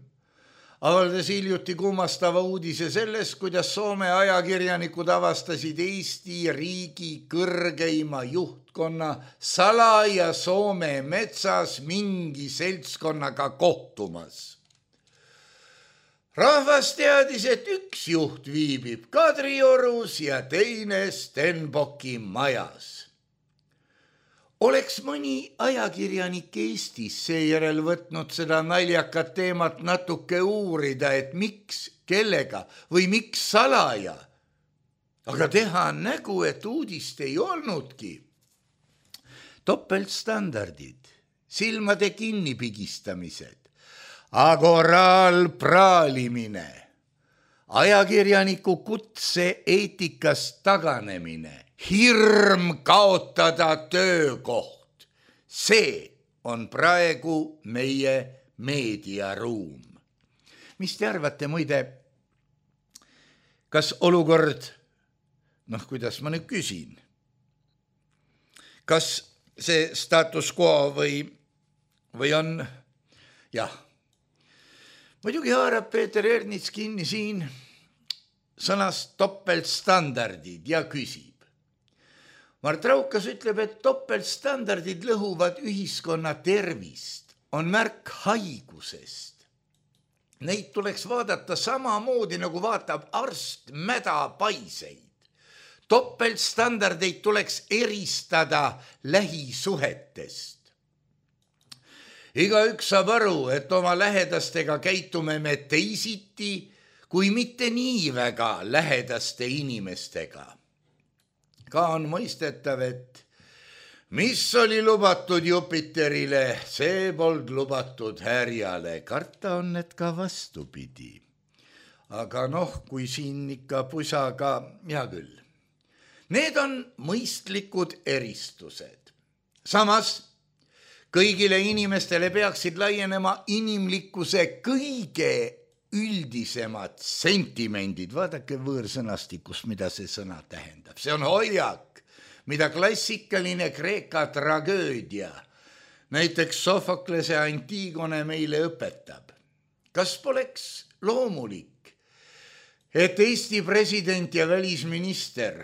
[SPEAKER 3] avaldas hiljuti kummastava uudise sellest, kuidas Soome ajakirjanikud avastasid Eesti riigi kõrgeima juhtkonna salaja Soome metsas mingi seltskonnaga kohtumas. Rahvas teadis, et üks juht viibib Kadriorus ja teine Stenbocki majas. Oleks mõni ajakirjanik Eestis seejärel võtnud seda naljakat teemat natuke uurida, et miks, kellega või miks salaja. Aga teha nägu, et uudist ei olnudki. Topeltstandardid, silmade kinnipigistamised, agoraal praalimine, ajakirjaniku kutse eetikast taganemine, hirm kaotada töökoht. See on praegu meie meediaruum. Mis te arvate, muide, kas olukord, noh, kuidas ma nüüd küsin, kas see status quo või, või on, jah, muidugi haarab Peeter Ernits kinni siin sõnast topeltstandardid ja küsib. Mart Raukas ütleb, et topeltstandardid lõhuvad ühiskonna tervist, on märk haigusest. Neid tuleks vaadata samamoodi, nagu vaatab arst mädapaiseid. Topeltstandardeid tuleks eristada lähisuhetest. Igaüks saab aru, et oma lähedastega käitume me teisiti, kui mitte nii väga lähedaste inimestega. Ka on mõistetav, et mis oli lubatud Jupiterile, see polnud lubatud härjale. Karta on, et ka vastupidi. Aga noh, kui siin ikka pusaga, hea küll. Need on mõistlikud eristused. Samas, kõigile inimestele peaksid laienema inimlikkuse kõige üldisemad sentimendid. Vaadake võõrsõnastikus, mida see sõna tähendab. See on hoiak, mida klassikaline Kreeka tragöödia, näiteks Sofoklese Antigone meile õpetab. Kas poleks loomulik, et Eesti president ja välisminister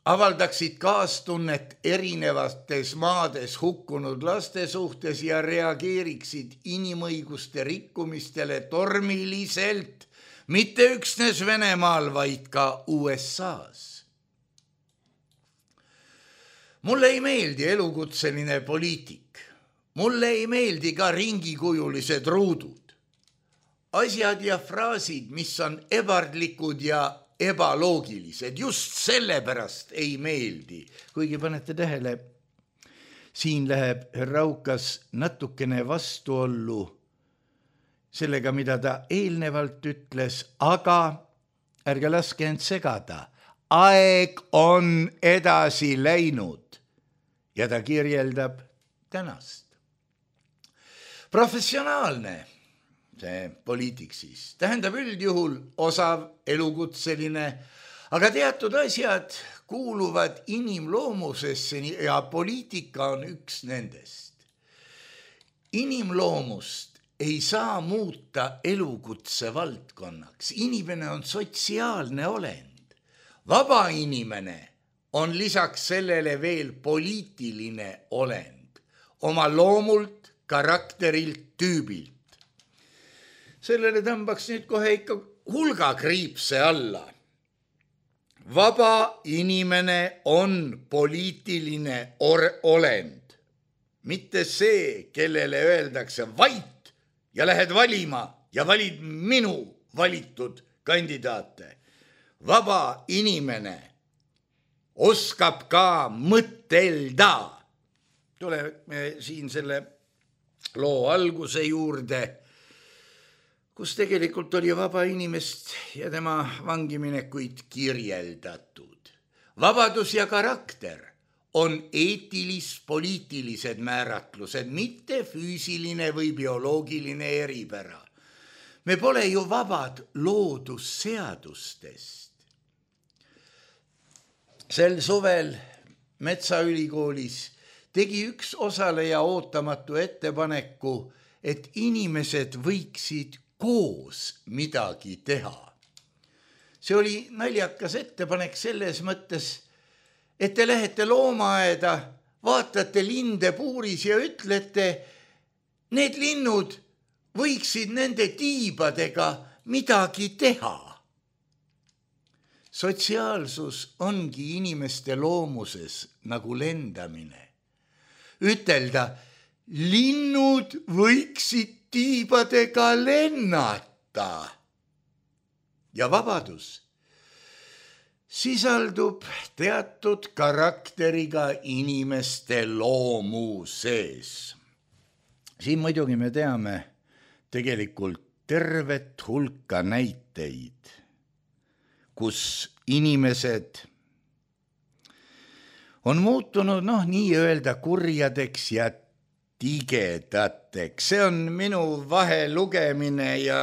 [SPEAKER 3] avaldaksid kaastunnet erinevates maades hukkunud laste suhtes ja reageeriksid inimõiguste rikkumistele tormiliselt, mitte üksnes Venemaal, vaid ka U S A-s. Mulle ei meeldi elukutseline poliitik. Mulle ei meeldi ka ringikujulised ruudud. Asjad ja fraasid, mis on ebardlikud ja ebaloogilised, just sellepärast ei meeldi. Kuigi panete tähele, siin läheb Raukas natukene vastuollu sellega, mida ta eelnevalt ütles, aga ärge laske end segada. Aeg on edasi läinud ja ta kirjeldab tänast. Professionaalne see poliitik siis tähendab üldjuhul osav elukutseline, aga teatud asjad kuuluvad inimloomusesse ja poliitika on üks nendest. Inimloomust ei saa muuta elukutse valdkonnaks. Inimene on sotsiaalne olend. Vaba inimene on lisaks sellele veel poliitiline olend. Oma loomult, karakterilt, tüübilt. Sellele tõmbaks nüüd kohe ikka hulga kriipse alla. Vaba inimene on poliitiline olend. Mitte see, kellele öeldakse vait ja lähed valima ja valid minu valitud kandidaate. Vaba inimene oskab ka mõtelda. Tuleme siin selle loo alguse juurde, kus tegelikult oli vaba inimest ja tema vangiminekuid kirjeldatud. Vabadus ja karakter on eetilis-poliitilised määratlused, mitte füüsiline või bioloogiline eripära. Me pole ju vabad loodusseadustest. Sel suvel Metsaülikoolis tegi üks osaleja ootamatu ettepaneku, et inimesed võiksid koos midagi teha. See oli naljakas ettepanek selles mõttes, et te lähete loomaaeda, vaatate linde puuris ja ütlete, need linnud võiksid nende tiibadega midagi teha. Sotsiaalsus ongi inimeste loomuses nagu lendamine. Ütelda, linnud võiksid tiibadega lennata. Ja vabadus sisaldub teatud karakteriga inimeste loomuses. Siin muidugi me teame tegelikult tervet hulka näiteid, kus inimesed on muutunud noh, nii öelda kurjadeks ja tigedateks. See on minu vahelugemine ja,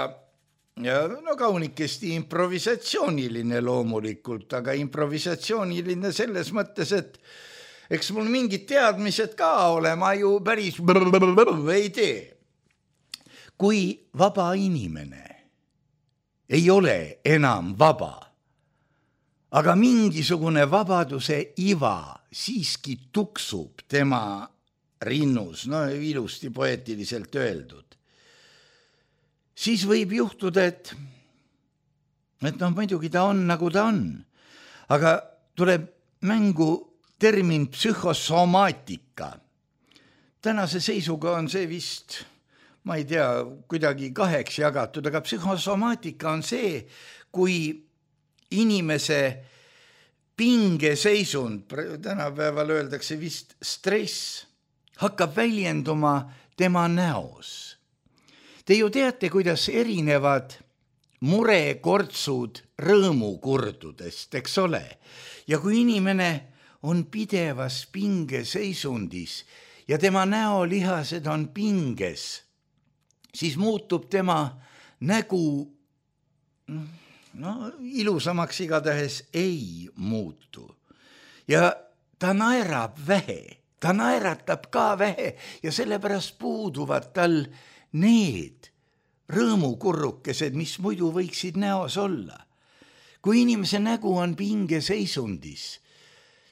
[SPEAKER 3] ja no kaunikesti improvisatsiooniline loomulikult, aga improvisatsiooniline selles mõttes, et eks mul mingid teadmised ka ole, ma ju päris ei tee. Kui vaba inimene ei ole enam vaba, aga mingisugune vabaduse iva siiski tuksub tema rinnus, no ilusti poeetiliselt öeldud, siis võib juhtuda, et, et noh, muidugi ta on, nagu ta on, aga tuleb mängu termin psühhosomaatika. Tänase seisuga on see vist, ma ei tea, kuidagi kaheks jagatud, aga psühhosomaatika on see, kui inimese pingeseisund, tänapäeval öeldakse vist stress, hakkab väljenduma tema näos. Te ju teate, kuidas erinevad murekortsud rõõmukurdudest, eks ole? Ja kui inimene on pidevas pingeseisundis ja tema näolihased on pinges, siis muutub tema nägu, no ilusamaks igatahes ei muutu. Ja ta naerab vähe, ta naeratab ka vähe ja sellepärast puuduvad tal need rõõmukurrukesed, mis muidu võiksid näos olla. Kui inimese nägu on pingeseisundis,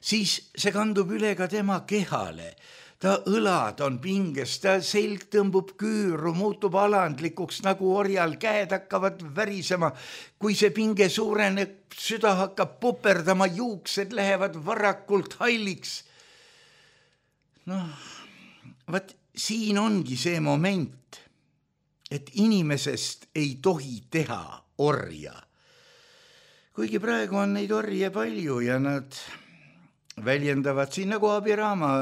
[SPEAKER 3] siis see kandub üle ka tema kehale. Ta õlad on pinges, ta selg tõmbub küüru, muutub alandlikuks nagu orjal, käed hakkavad värisema. Kui see pinge suureneb, süda hakkab puperdama, juuksed lähevad varakult halliks. Noh, vaat siin ongi see moment, et inimesest ei tohi teha orja. Kuigi praegu on neid orje palju ja nad väljendavad siin nagu Abiraama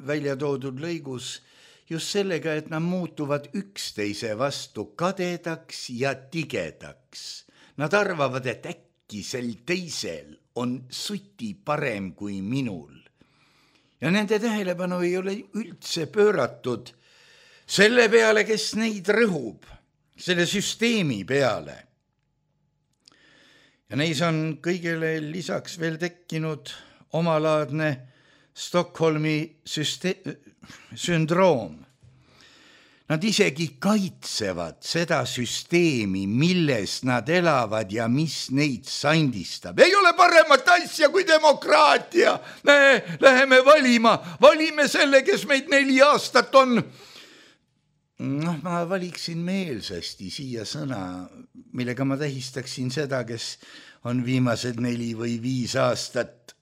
[SPEAKER 3] välja toodud lõigus just sellega, et nad muutuvad üksteise vastu kadedaks ja tigedaks. Nad arvavad, et äkki sel teisel on suti parem kui minul. Ja nende tähelepanu ei ole üldse pööratud selle peale, kes neid rõhub, selle süsteemi peale. Ja neis on kõigele lisaks veel tekkinud omalaadne Stockholmi süste- sündroom. Nad isegi kaitsevad seda süsteemi, milles nad elavad ja mis neid sandistab. Ei ole paremat asja kui demokraatia. Me läheme valima, valime selle, kes meid neli aastat on. Noh, ma valiksin meelsasti siia sõna, millega ma tähistaksin seda, kes on viimased neli või viis aastat.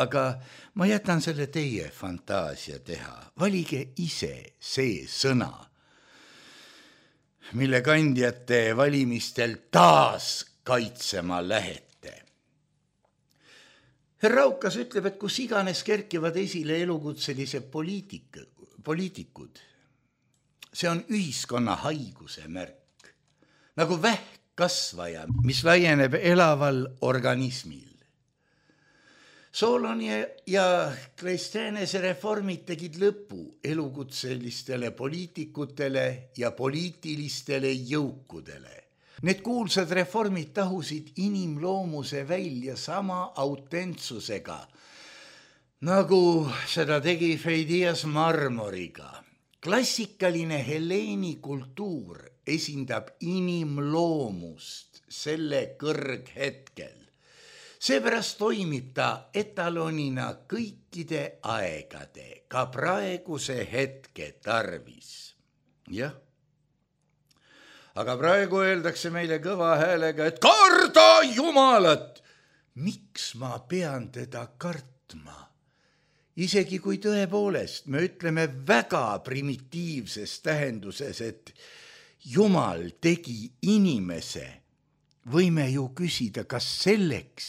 [SPEAKER 3] Aga ma jätan selle teie fantaasia teha. Valige ise see sõna, mille kandjate valimistel taas kaitsema lähete. Raukas ütleb, et kus iganes kerkivad esile elukutselise poliitika, poliitikud, see on ühiskonna haiguse märk, nagu vähkkasvaja, mis laieneb elaval organismil. Solon ja Kleisthenese reformid tegid lõpu elukutselistele poliitikutele ja poliitilistele jõukudele. Need kuulsad reformid tahusid inimloomuse välja sama autentsusega, nagu seda tegi Feidias Marmoriga. Klassikaline Helleeni kultuur esindab inimloomust selle kõrghetkel. Seepärast toimib ta etalonina kõikide aegade, ka praeguse hetke tarvis. Jah. Aga praegu öeldakse meile kõva häälega, et karda Jumalat. Miks ma pean teda kartma? Isegi kui tõepoolest me ütleme väga primitiivses tähenduses, et Jumal tegi inimese, võime ju küsida, kas selleks,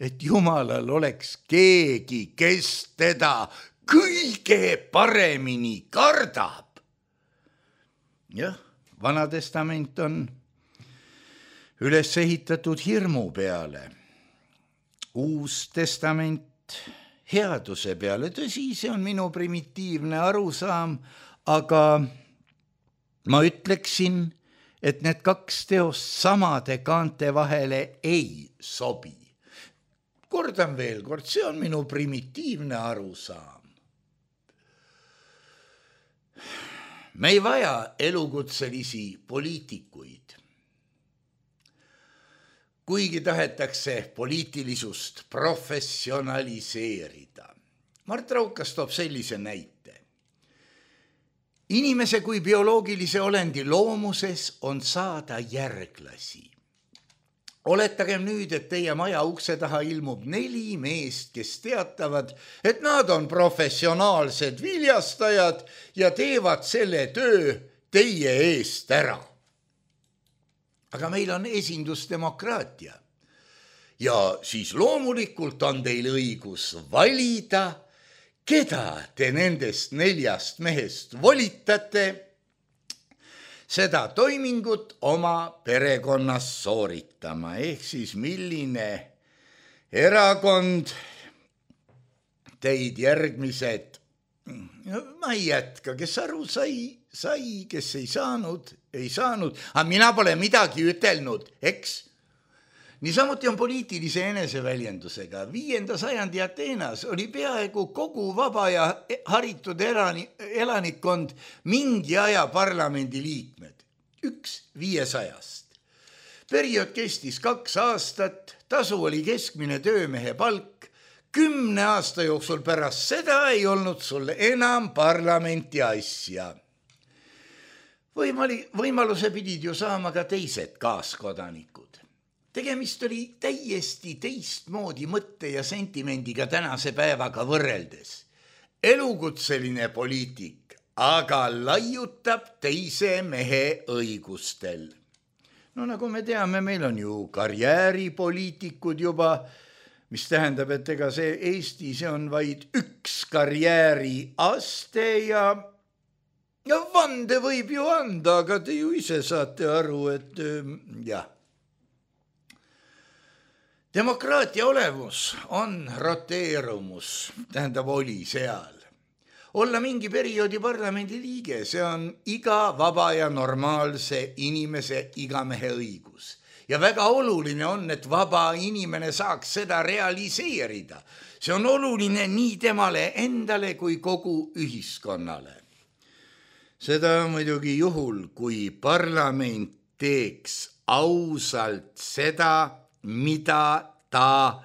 [SPEAKER 3] et Jumalal oleks keegi, kes teda kõige paremini kardab. Jah, Vana Testament on üles ehitatud hirmu peale, Uus Testament headuse peale. Tõsi, see on minu primitiivne arusaam, aga ma ütleksin, et need kaks teost samade kaante vahele ei sobi. Kordan veel kord, see on minu primitiivne arusaam. Me ei vaja elukutselisi poliitikuid. Kuigi tahetakse poliitilisust professionaliseerida. Mart Raukas toob sellise näite. Inimese kui bioloogilise olendi loomuses on saada järglasi. Oletagem nüüd, et teie maja ukse taha ilmub neli meest, kes teatavad, et nad on professionaalsed viljastajad ja teevad selle töö teie eest ära. Aga meil on esindusdemokraatia ja siis loomulikult on teil õigus valida, keda te nendest neljast mehest volitate seda toimingut oma perekonnas sooritama, ehk siis milline erakond teid järgmised, ma ei jätka, kes aru sai, sai, kes ei saanud, ei saanud, aga mina pole midagi ütelnud, eks? Niisamuti on poliitilise eneseväljendusega. Viienda sajandi Ateenas oli peaaegu kogu vaba ja haritud elanikkond mingi aja parlamendi liikmed. Üks viiesajast. Periood kestis kaks aastat, tasu oli keskmine töömehe palk. Kümne aasta jooksul pärast seda ei olnud sul enam parlamenti asja. Võimali, võimaluse pidid ju saama ka teised kaaskodanikud. Tegemist oli täiesti teistmoodi mõtte ja sentimendiga tänase päevaga võrreldes. Elukutseline poliitik, aga laiutab teise mehe õigustel. No nagu me teame, meil on ju karjääripoliitikud juba, mis tähendab, et ega see Eesti, see on vaid üks karjääriaste ja, ja vande võib ju anda, aga te ju ise saate aru, et jah. Demokraatia olemus on roteerumus, tähendab oli seal. Olla mingi perioodi parlamendi liige, see on iga vaba ja normaalse inimese igamehe õigus. Ja väga oluline on, et vaba inimene saaks seda realiseerida. See on oluline nii temale endale kui kogu ühiskonnale. Seda muidugi juhul, kui parlament teeks ausalt seda, mida ta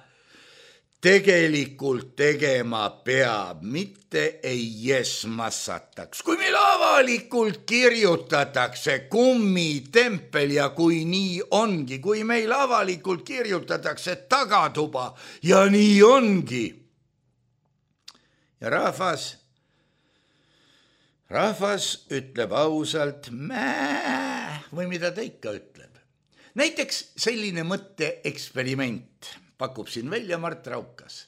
[SPEAKER 3] tegelikult tegema peab, mitte ei jesmassataks. Kui meil avalikult kirjutatakse kummitempel ja kui nii ongi, kui meil avalikult kirjutatakse tagatuba ja nii ongi. Ja rahvas, rahvas ütleb ausalt mää või mida ta ikka ütleb. Näiteks selline mõtte eksperiment. pakub siin välja Mart Raukas.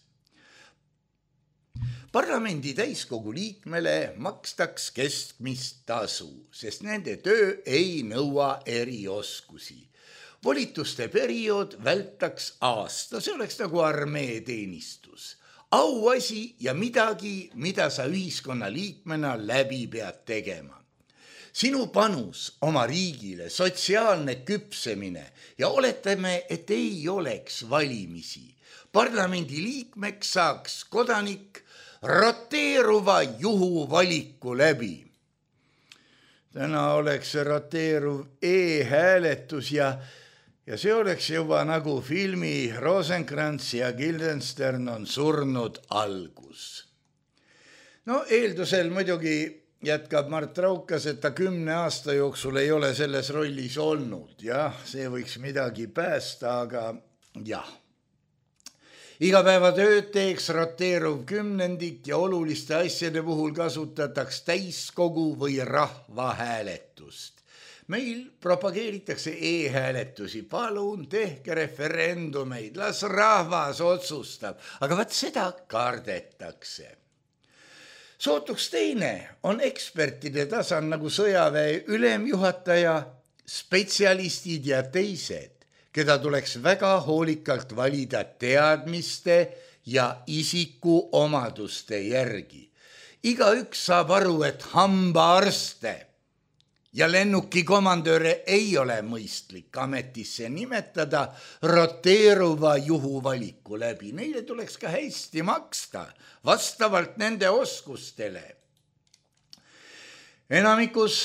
[SPEAKER 3] Parlamendi täiskogu liikmele makstaks keskmist tasu, sest nende töö ei nõua erioskusi. Volituste periood vältaks aasta, see oleks nagu armee teenistus. Auasi ja midagi, mida sa ühiskonna liikmena läbi pead tegema. Sinu panus oma riigile, sotsiaalne küpsemine ja oletame, et ei oleks valimisi. Parlamendi liikmeks saaks kodanik roteeruva juhuvaliku läbi. Täna oleks see roteeruv e-hääletus ja, ja see oleks juba nagu filmi Rosenkrantz ja Guildenstern on surnud algus. No eeldusel muidugi jätkab Mart Raukas, et ta kümne aasta jooksul ei ole selles rollis olnud. Jah, see võiks midagi päästa, aga jah. Igapäevatööd teeks roteeruv kümnendik ja oluliste asjade puhul kasutataks täiskogu või rahvahääletust. Meil propageeritakse e-hääletusi. Palun tehke referendumeid, las rahvas otsustab, aga vaat seda kardetakse. Sootuks teine on ekspertide tasan nagu sõjaväe ülemjuhataja, spetsialistid ja teised, keda tuleks väga hoolikalt valida teadmiste ja isiku omaduste järgi. Igaüks saab aru, et hambaarste ja lennukikomandööre ei ole mõistlik ametisse nimetada roteeruva juhuvaliku läbi. Neile tuleks ka hästi maksta vastavalt nende oskustele. Enamikus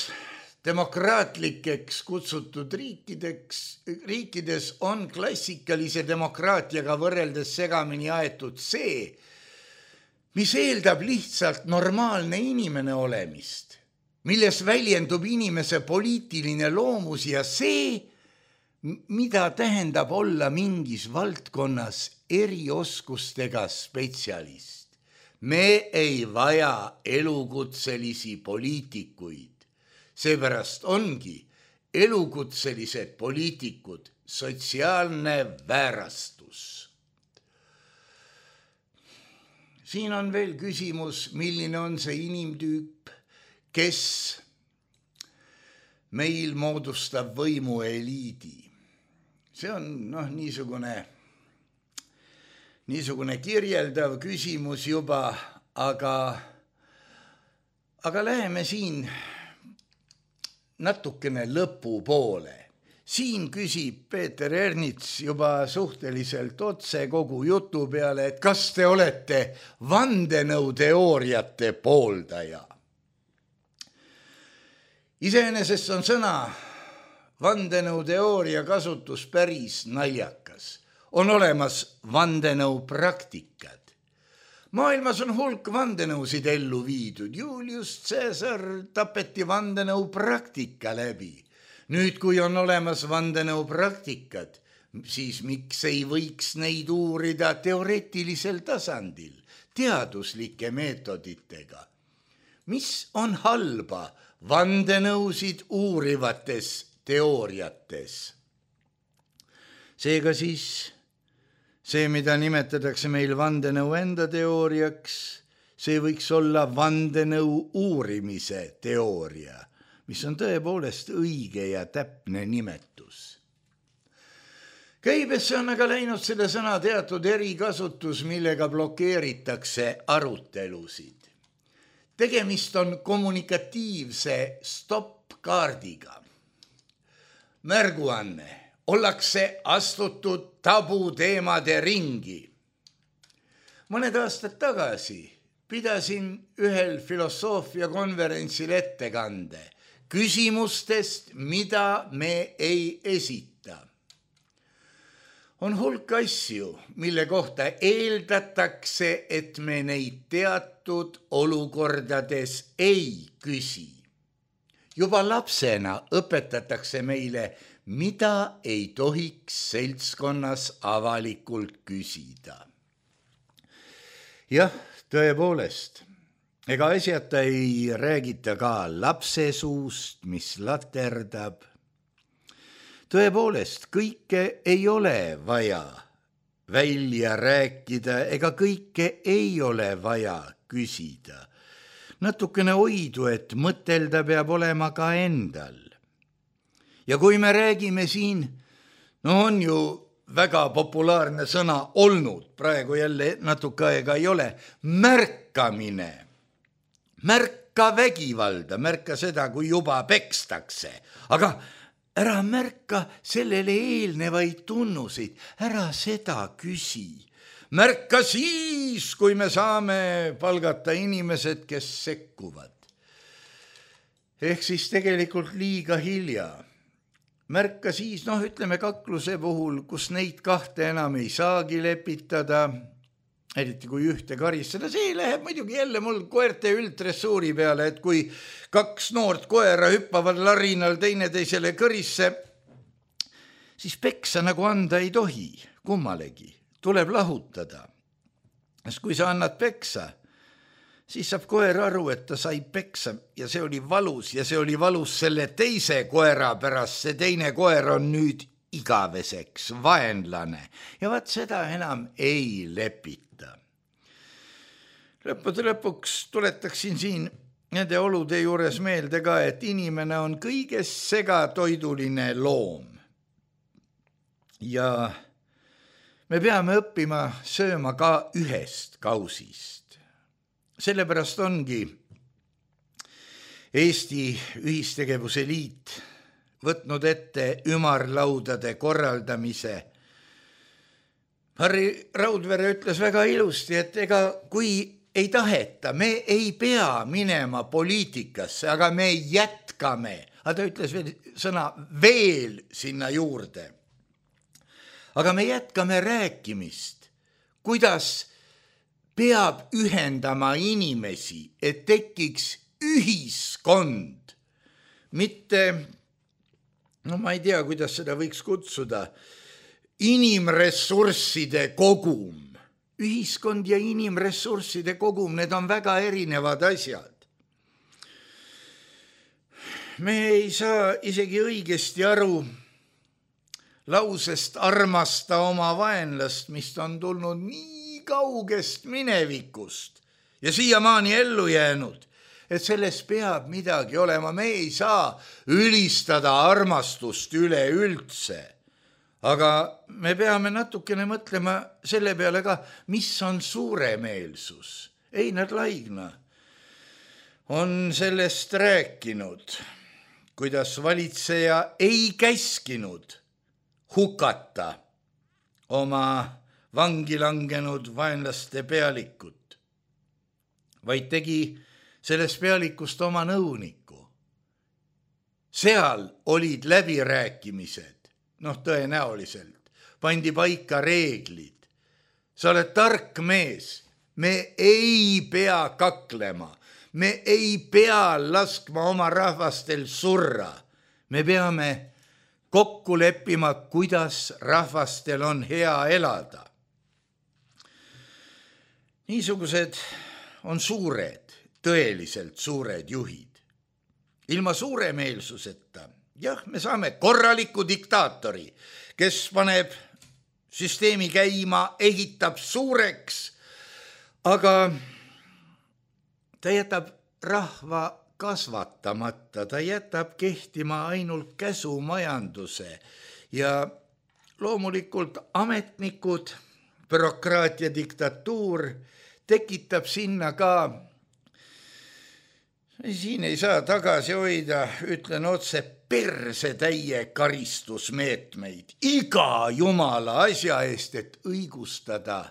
[SPEAKER 3] demokraatlikeks kutsutud riikideks, riikides on klassikalise demokraatiaga võrreldes segamini aetud see, mis eeldab lihtsalt normaalne inimene olemist, milles väljendub inimese poliitiline loomus ja see, mida tähendab olla mingis valdkonnas erioskustega spetsialist. Me ei vaja elukutselisi poliitikuid. Seepärast ongi elukutselised poliitikud sotsiaalne väärastus. Siin on veel küsimus, milline on see inimtüüp, kes meil moodustab võimu eliidi. See on noh, niisugune, niisugune kirjeldav küsimus juba, aga, aga läheme siin natukene lõpu poole. Siin küsib Peeter Ernits juba suhteliselt otse kogu jutu peale, et kas te olete vandenõuteooriate pooldaja. Iseenesest on sõna vandenõuteooria kasutus päris naljakas. On olemas vandenõupraktikad. Maailmas on hulk vandenõusid ellu viidud. Julius Caesar tapeti vandenõupraktika läbi. Nüüd, kui on olemas vandenõupraktikad, siis miks ei võiks neid uurida teoreetilisel tasandil, teaduslike meetoditega? Mis on halba vandenõusid uurivates teooriates? Seega siis see, mida nimetatakse meil vandenõu enda teooriaks, see võiks olla vandenõu uurimise teooria, mis on tõepoolest õige ja täpne nimetus. Käibesse on aga läinud selle sõna teatud erikasutus, millega blokeeritakse arutelusid. Tegemist on kommunikatiivse stopp-kaardiga. Märguanne, ollakse astutud tabuteemade ringi. Mõned aastad tagasi pidasin ühel filosoofiakonverentsil ettekande küsimustest, mida me ei esita. On hulk asju, mille kohta eeldatakse, et me neid teatud olukordades ei küsi. Juba lapsena õpetatakse meile, mida ei tohiks seltskonnas avalikult küsida. Jah, tõepoolest, ega asjata ei räägita ka lapse suust, mis laterdab. Tõepoolest, kõike ei ole vaja välja rääkida, ega kõike ei ole vaja küsida. Natukene oidu, et mõtelda peab olema ka endal. Ja kui me räägime siin, no on ju väga populaarne sõna olnud, praegu jälle natuke aega ei ole, märkamine. Märka vägivalda, märka seda, kui juba pekstakse, aga ära märka sellele eelnevaid tunnuseid, ära seda küsi. Märka siis, kui me saame palgata inimesed, kes sekkuvad. Ehk siis tegelikult liiga hilja. Märka siis, noh ütleme kakluse puhul, kus neid kahte enam ei saagi lepitada, eriti kui ühte karistada, see läheb muidugi jälle mul koerte üldressuuri peale, et kui kaks noort koera hüppavad larinal teineteisele kõrisse, siis peksa nagu anda ei tohi, kummalegi. Tuleb lahutada. Sest kui sa annad peksa, siis saab koer aru, et ta sai peksa ja see oli valus ja see oli valus selle teise koera pärast. See teine koer on nüüd igaveseks vaenlane ja vaat seda enam ei lepita. Lõppude lõpuks tuletaksin siin nende olude juures meelde ka, et inimene on kõigest segatoiduline loom ja me peame õppima sööma ka ühest kausist. Sellepärast ongi Eesti Ühistegevuse Liit võtnud ette ümarlaudade korraldamise. Harri Raudvere ütles väga ilusti, et ega kui ei taheta, me ei pea minema poliitikasse, aga me jätkame. Aga ta ütles veel sõna veel sinna juurde. Aga me jätkame rääkimist, kuidas peab ühendama inimesi, et tekiks ühiskond. Mitte, no ma ei tea, kuidas seda võiks kutsuda, inimressursside kogum. Ühiskond ja inimressursside kogum, need on väga erinevad asjad. Me ei saa isegi õigesti aru lausest armasta oma vaenlast, mis on tulnud nii kaugest minevikust ja siiamaani ellu jäänud, et selles peab midagi olema. Me ei saa ülistada armastust üleüldse, aga me peame natukene mõtlema selle peale ka, mis on suuremeelsus. Einar Laigna on sellest rääkinud, kuidas valitseja ei käskinud hukata oma vangi langenud vaenlaste pealikut, vaid tegi sellest pealikust oma nõuniku. Seal olid läbirääkimised, noh tõenäoliselt, pandi paika reeglid. Sa oled tark mees, me ei pea kaklema, me ei pea laskma oma rahvastel surra, me peame kokku leppima, kuidas rahvastel on hea elada. Niisugused on suured, tõeliselt suured juhid. Ilma suuremeelsuseta, jah, me saame korraliku diktaatori, kes paneb süsteemi käima, ehitab suureks, aga ta jätab rahva kasvatamata, ta jätab kehtima ainult käsumajanduse ja loomulikult ametnikud, bürokraatia diktatuur tekitab sinna ka, siin ei saa tagasi hoida, ütlen otse, persetäie karistusmeetmeid iga jumala asja eest, et õigustada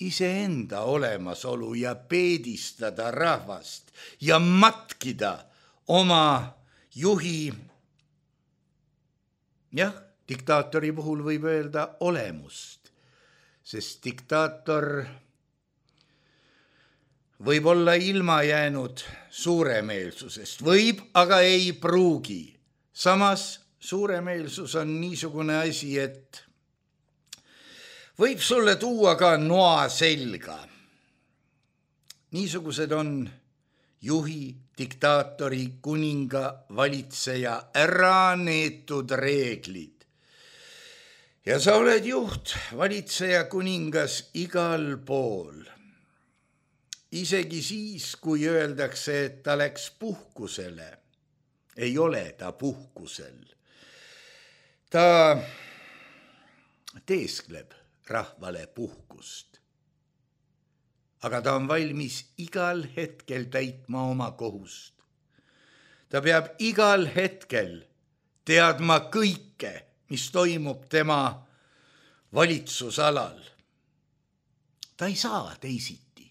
[SPEAKER 3] iseenda olemasolu ja peedistada rahvast ja matkida oma juhi, jah, diktaatori puhul võib öelda olemust, sest diktaator võib olla ilma jäänud suuremeelsusest, võib, aga ei pruugi. Samas suuremeelsus on niisugune asi, et võib sulle tuua ka noa selga. Niisugused on juhi, diktaatori, kuninga, valitseja ära neetud reeglid. ja sa oled juht, valitseja, kuningas igal pool. Isegi siis, kui öeldakse, et ta läks puhkusele, ei ole ta puhkusel. Ta teeskleb rahvale puhkust. Aga ta on valmis igal hetkel täitma oma kohust. Ta peab igal hetkel teadma kõike, mis toimub tema valitsusalal. Ta ei saa teisiti.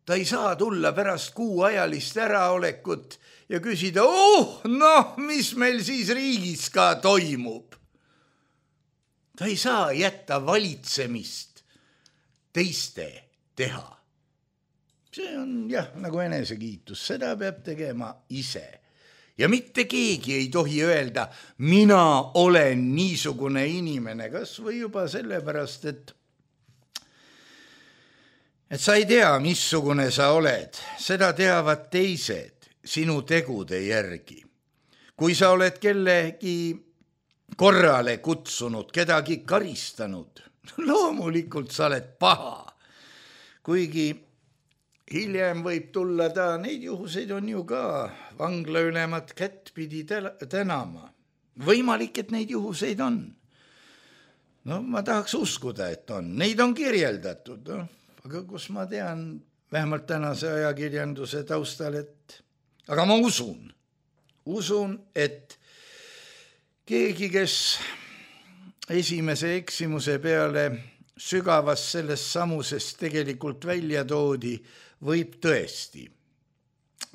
[SPEAKER 3] Ta ei saa tulla pärast kuuajalist äraolekut ja küsida, oh, noh, mis meil siis riigis ka toimub. Ta ei saa jätta valitsemist teiste teha. See on jah, nagu enesekiitus, seda peab tegema ise. Ja mitte keegi ei tohi öelda, mina olen niisugune inimene, kas või juba sellepärast, et et sa ei tea, missugune sa oled, seda teavad teised sinu tegude järgi. Kui sa oled kellegi korrale kutsunud, kedagi karistanud, loomulikult sa oled paha. Kuigi hiljem võib tulla ta, neid juhuseid on ju ka vanglaülemat kättpidi tänama. Võimalik, et neid juhuseid on. No ma tahaks uskuda, et on. Neid on kirjeldatud, no. Aga kus ma tean, vähemalt tänase ajakirjanduse taustal, et aga ma usun, usun, et keegi, kes esimese eksimuse peale sügavas selles samuses tegelikult välja toodi, võib tõesti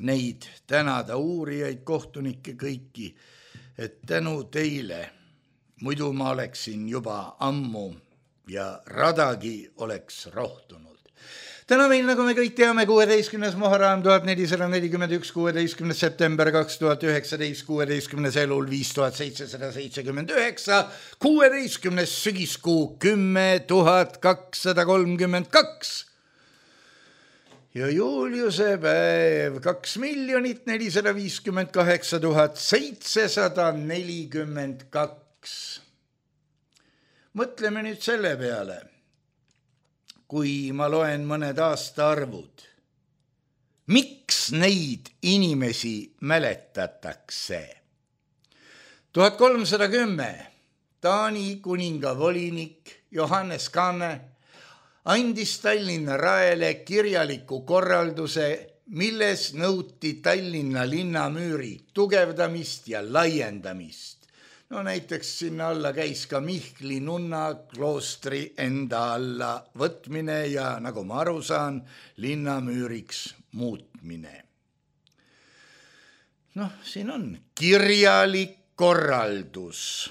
[SPEAKER 3] neid tänada uurijaid, kohtunikke kõiki, et tänu teile, muidu ma oleksin juba ammu ja radagi oleks rohtunud. Täna meil, nagu me kõik teame, kuueteistkümnes Muharram tuhat nelisada nelikümmend üks, kuueteistkümnes september kaks tuhat üheksateist, kuueteistkümnes elul viis tuhat seitsesada seitsekümmend üheksa, kuueteistkümnes sügiskuu kümme tuhat kakssada kolmkümmend kaks. Ja Juliuse päev kaks miljonit nelisada viiskümmend kaheksa tuhat seitsesada nelikümmend kaks. Mõtleme nüüd selle peale. Kui ma loen mõned aastaarvud, miks neid inimesi mäletatakse? tuhat kolmsada kümme Taani kuninga volinik Johannes Kanne andis Tallinna raele kirjaliku korralduse, milles nõuti Tallinna linnamüüri tugevdamist ja laiendamist. No näiteks sinna alla käis ka Mihkli nunna kloostri enda alla võtmine ja nagu ma aru saan, linnamüüriks muutmine. Noh, siin on kirjalik korraldus.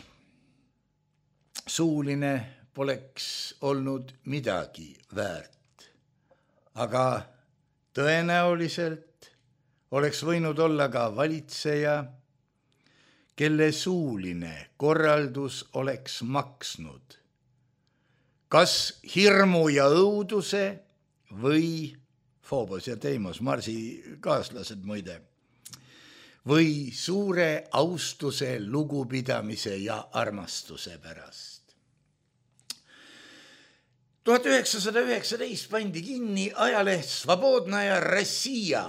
[SPEAKER 3] Suuline poleks olnud midagi väärt. Aga tõenäoliselt oleks võinud olla ka valitseja, kelle suuline korraldus oleks maksnud. Kas hirmu ja õuduse või Phobos ja Deimos, Marsi kaaslased muide, või suure austuse, lugupidamise ja armastuse pärast. tuhat üheksasada üheksateist pandi kinni ajaleht Svobodnaja Rossija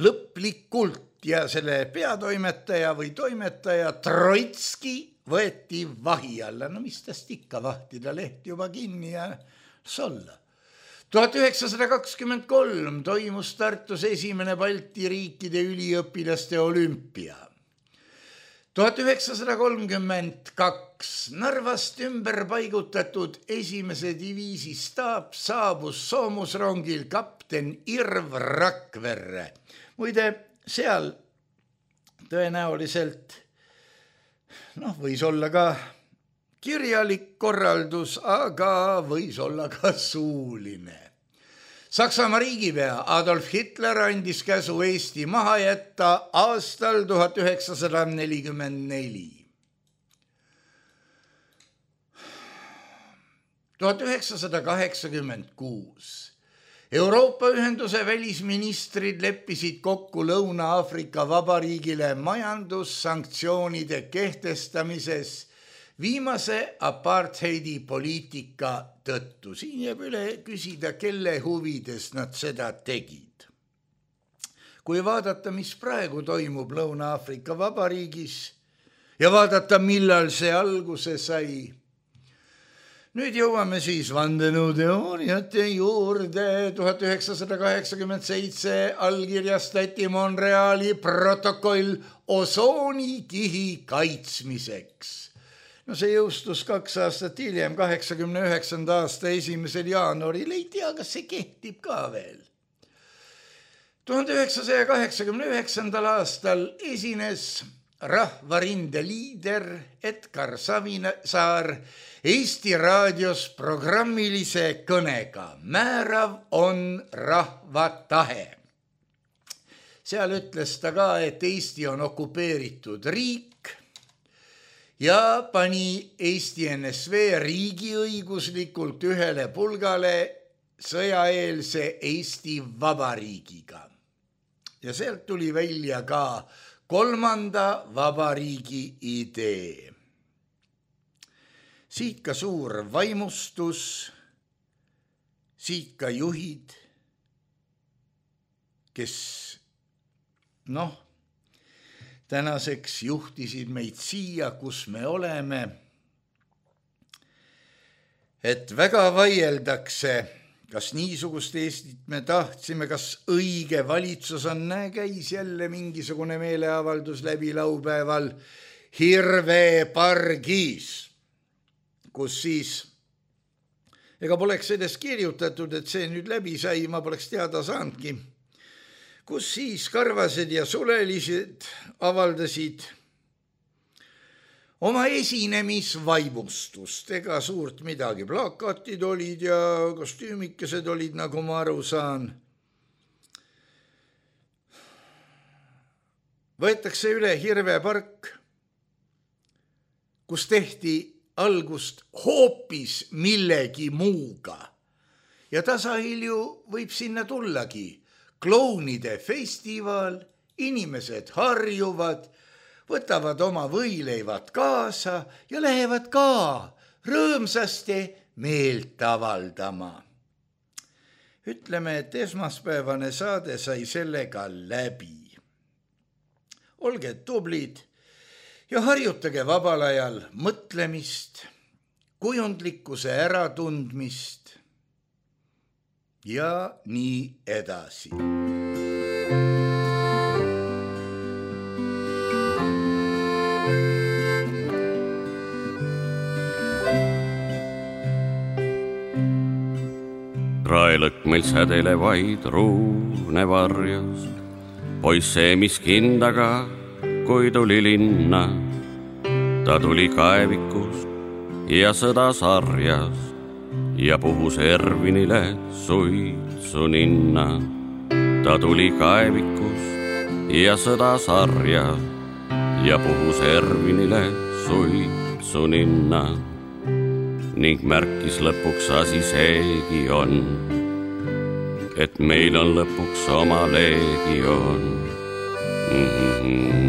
[SPEAKER 3] lõplikult ja selle peatoimetaja või toimetaja Troitski võeti vahi alla. No mis tast ikka vahtida, leht juba kinni ja solla. tuhat üheksasada kakskümmend kolm toimus Tartus esimene Balti riikide üliõpilaste olümpia. tuhat üheksasada kolmkümmend kaks Narvast ümber paigutatud esimese diviisi staap saabus soomusrongil kapten Irv Rakverre. Muide, seal tõenäoliselt noh, võis olla ka kirjalik korraldus, aga võis olla ka suuline. Saksamaa riigipea Adolf Hitler andis käsu Eesti maha jätta aastal tuhat üheksasada nelikümmend neli. tuhat üheksasada kaheksakümmend kuus Euroopa Ühenduse välisministrid leppisid kokku Lõuna-Aafrika Vabariigile majandussanktsioonide kehtestamises viimase apartheidi poliitika tõttu. Siin jääb üle küsida, kelle huvides nad seda tegid. Kui vaadata, mis praegu toimub Lõuna-Aafrika Vabariigis ja vaadata, millal see alguse sai. Nüüd jõuame siis vandenõuteooriate juurde. tuhat üheksasada kaheksakümmend seitse allkirjastati Montreali protokoll osoonikihi kaitsmiseks. No see jõustus kaks aastat hiljem, kaheksakümne üheksanda aasta esimesel jaanuaril. Ei tea, kas see kehtib ka veel. tuhande üheksasaja kaheksakümne üheksandal aastal esines rahvarinde liider Edgar Savisaar Eesti raadios programmilise kõnega Määrav on rahva tahe. Seal ütles ta ka, et Eesti on okupeeritud riik ja pani Eesti N S V riigiõiguslikult ühele pulgale sõjaeelse Eesti Vabariigiga. Ja sealt tuli välja ka kolmanda vabariigi idee. Siit ka suur vaimustus, siit ka juhid, kes noh, tänaseks juhtisid meid siia, kus me oleme, et väga vaieldakse, kas niisugust Eestit me tahtsime, kas õige valitsus on, näe, käis jälle mingisugune meeleavaldus läbi laupäeval Hirvepargis, kus siis, ega poleks sellest kirjutatud, et see nüüd läbi sai, ma poleks teada saanudki, kus siis karvased ja sulelised avaldasid oma esinemisvaimustust, ega suurt midagi, plakatid olid ja kostüümikesed olid, nagu ma aru saan. Võetakse üle Hirvepark, kus tehti algust hoopis millegi muuga. Ja tasahilju võib sinna tullagi klounide festival, inimesed harjuvad, võtavad oma võileivad kaasa ja lähevad ka rõõmsasti meelt avaldama. Ütleme, et esmaspäevane saade sai sellega läbi. Olge tublid ja harjutage vabal ajal mõtlemist, kujundlikkuse äratundmist ja nii edasi.
[SPEAKER 4] Raelõkk meil sädele vaid ruune varjas, poiss see, mis kindaga, kui tuli linna. Ta tuli kaevikust ja sõda sarjas ja puhus Ervinile suitsu ninna. Ta tuli kaevikust ja sõda sarjas ja puhus Ervinile suitsu ninna. Ning märkis lõpuks asi seegi on, et meil on lõpuks oma leegion. Mm-hmm.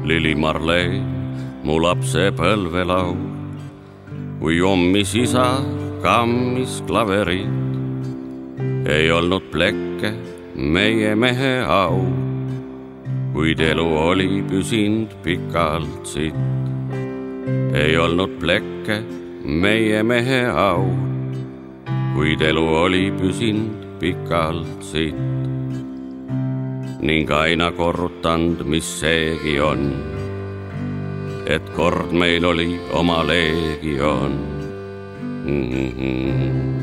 [SPEAKER 4] Lili Marleen, mu lapse põlvelaul, kui ommis isa kammis klaverit, ei olnud plekke meie mehe au, kuid elu oli püsind pikalt sitt. Ei olnud plekke meie mehe au, kuid elu oli püsind pikalt sitt. Ning aina korrutand, mis seegi on, et kord meil oli oma leegion. Mm-hmm.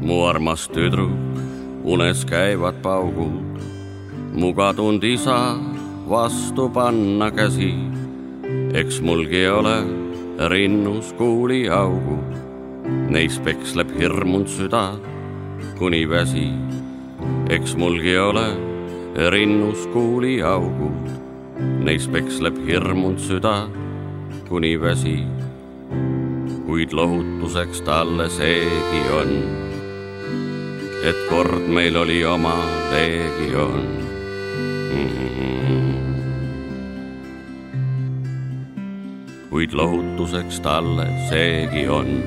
[SPEAKER 4] mu armas tüdruk, unes käivad paugud, mu kadunud isa vastu panna käsi. Eks mulgi ole rinnus kuuli augud, neis peksleb hirmund süda kuni väsi. Eks mulgi ole rinnus kuuli augud, neis peksleb hirmund süda kuni väsi. Kuid lohutuseks talle seegi on, et kord meil oli oma leegion. Mm-hmm. Kuid lohutuseks talle seegi on,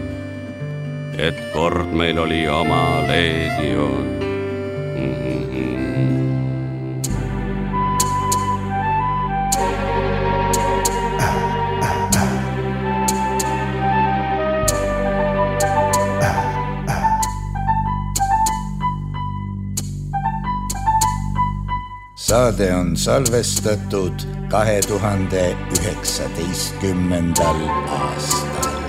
[SPEAKER 4] et kord meil oli oma leegion. Mm-hmm.
[SPEAKER 3] Saade on salvestatud kahe tuhande üheksateistkümnendal aastal.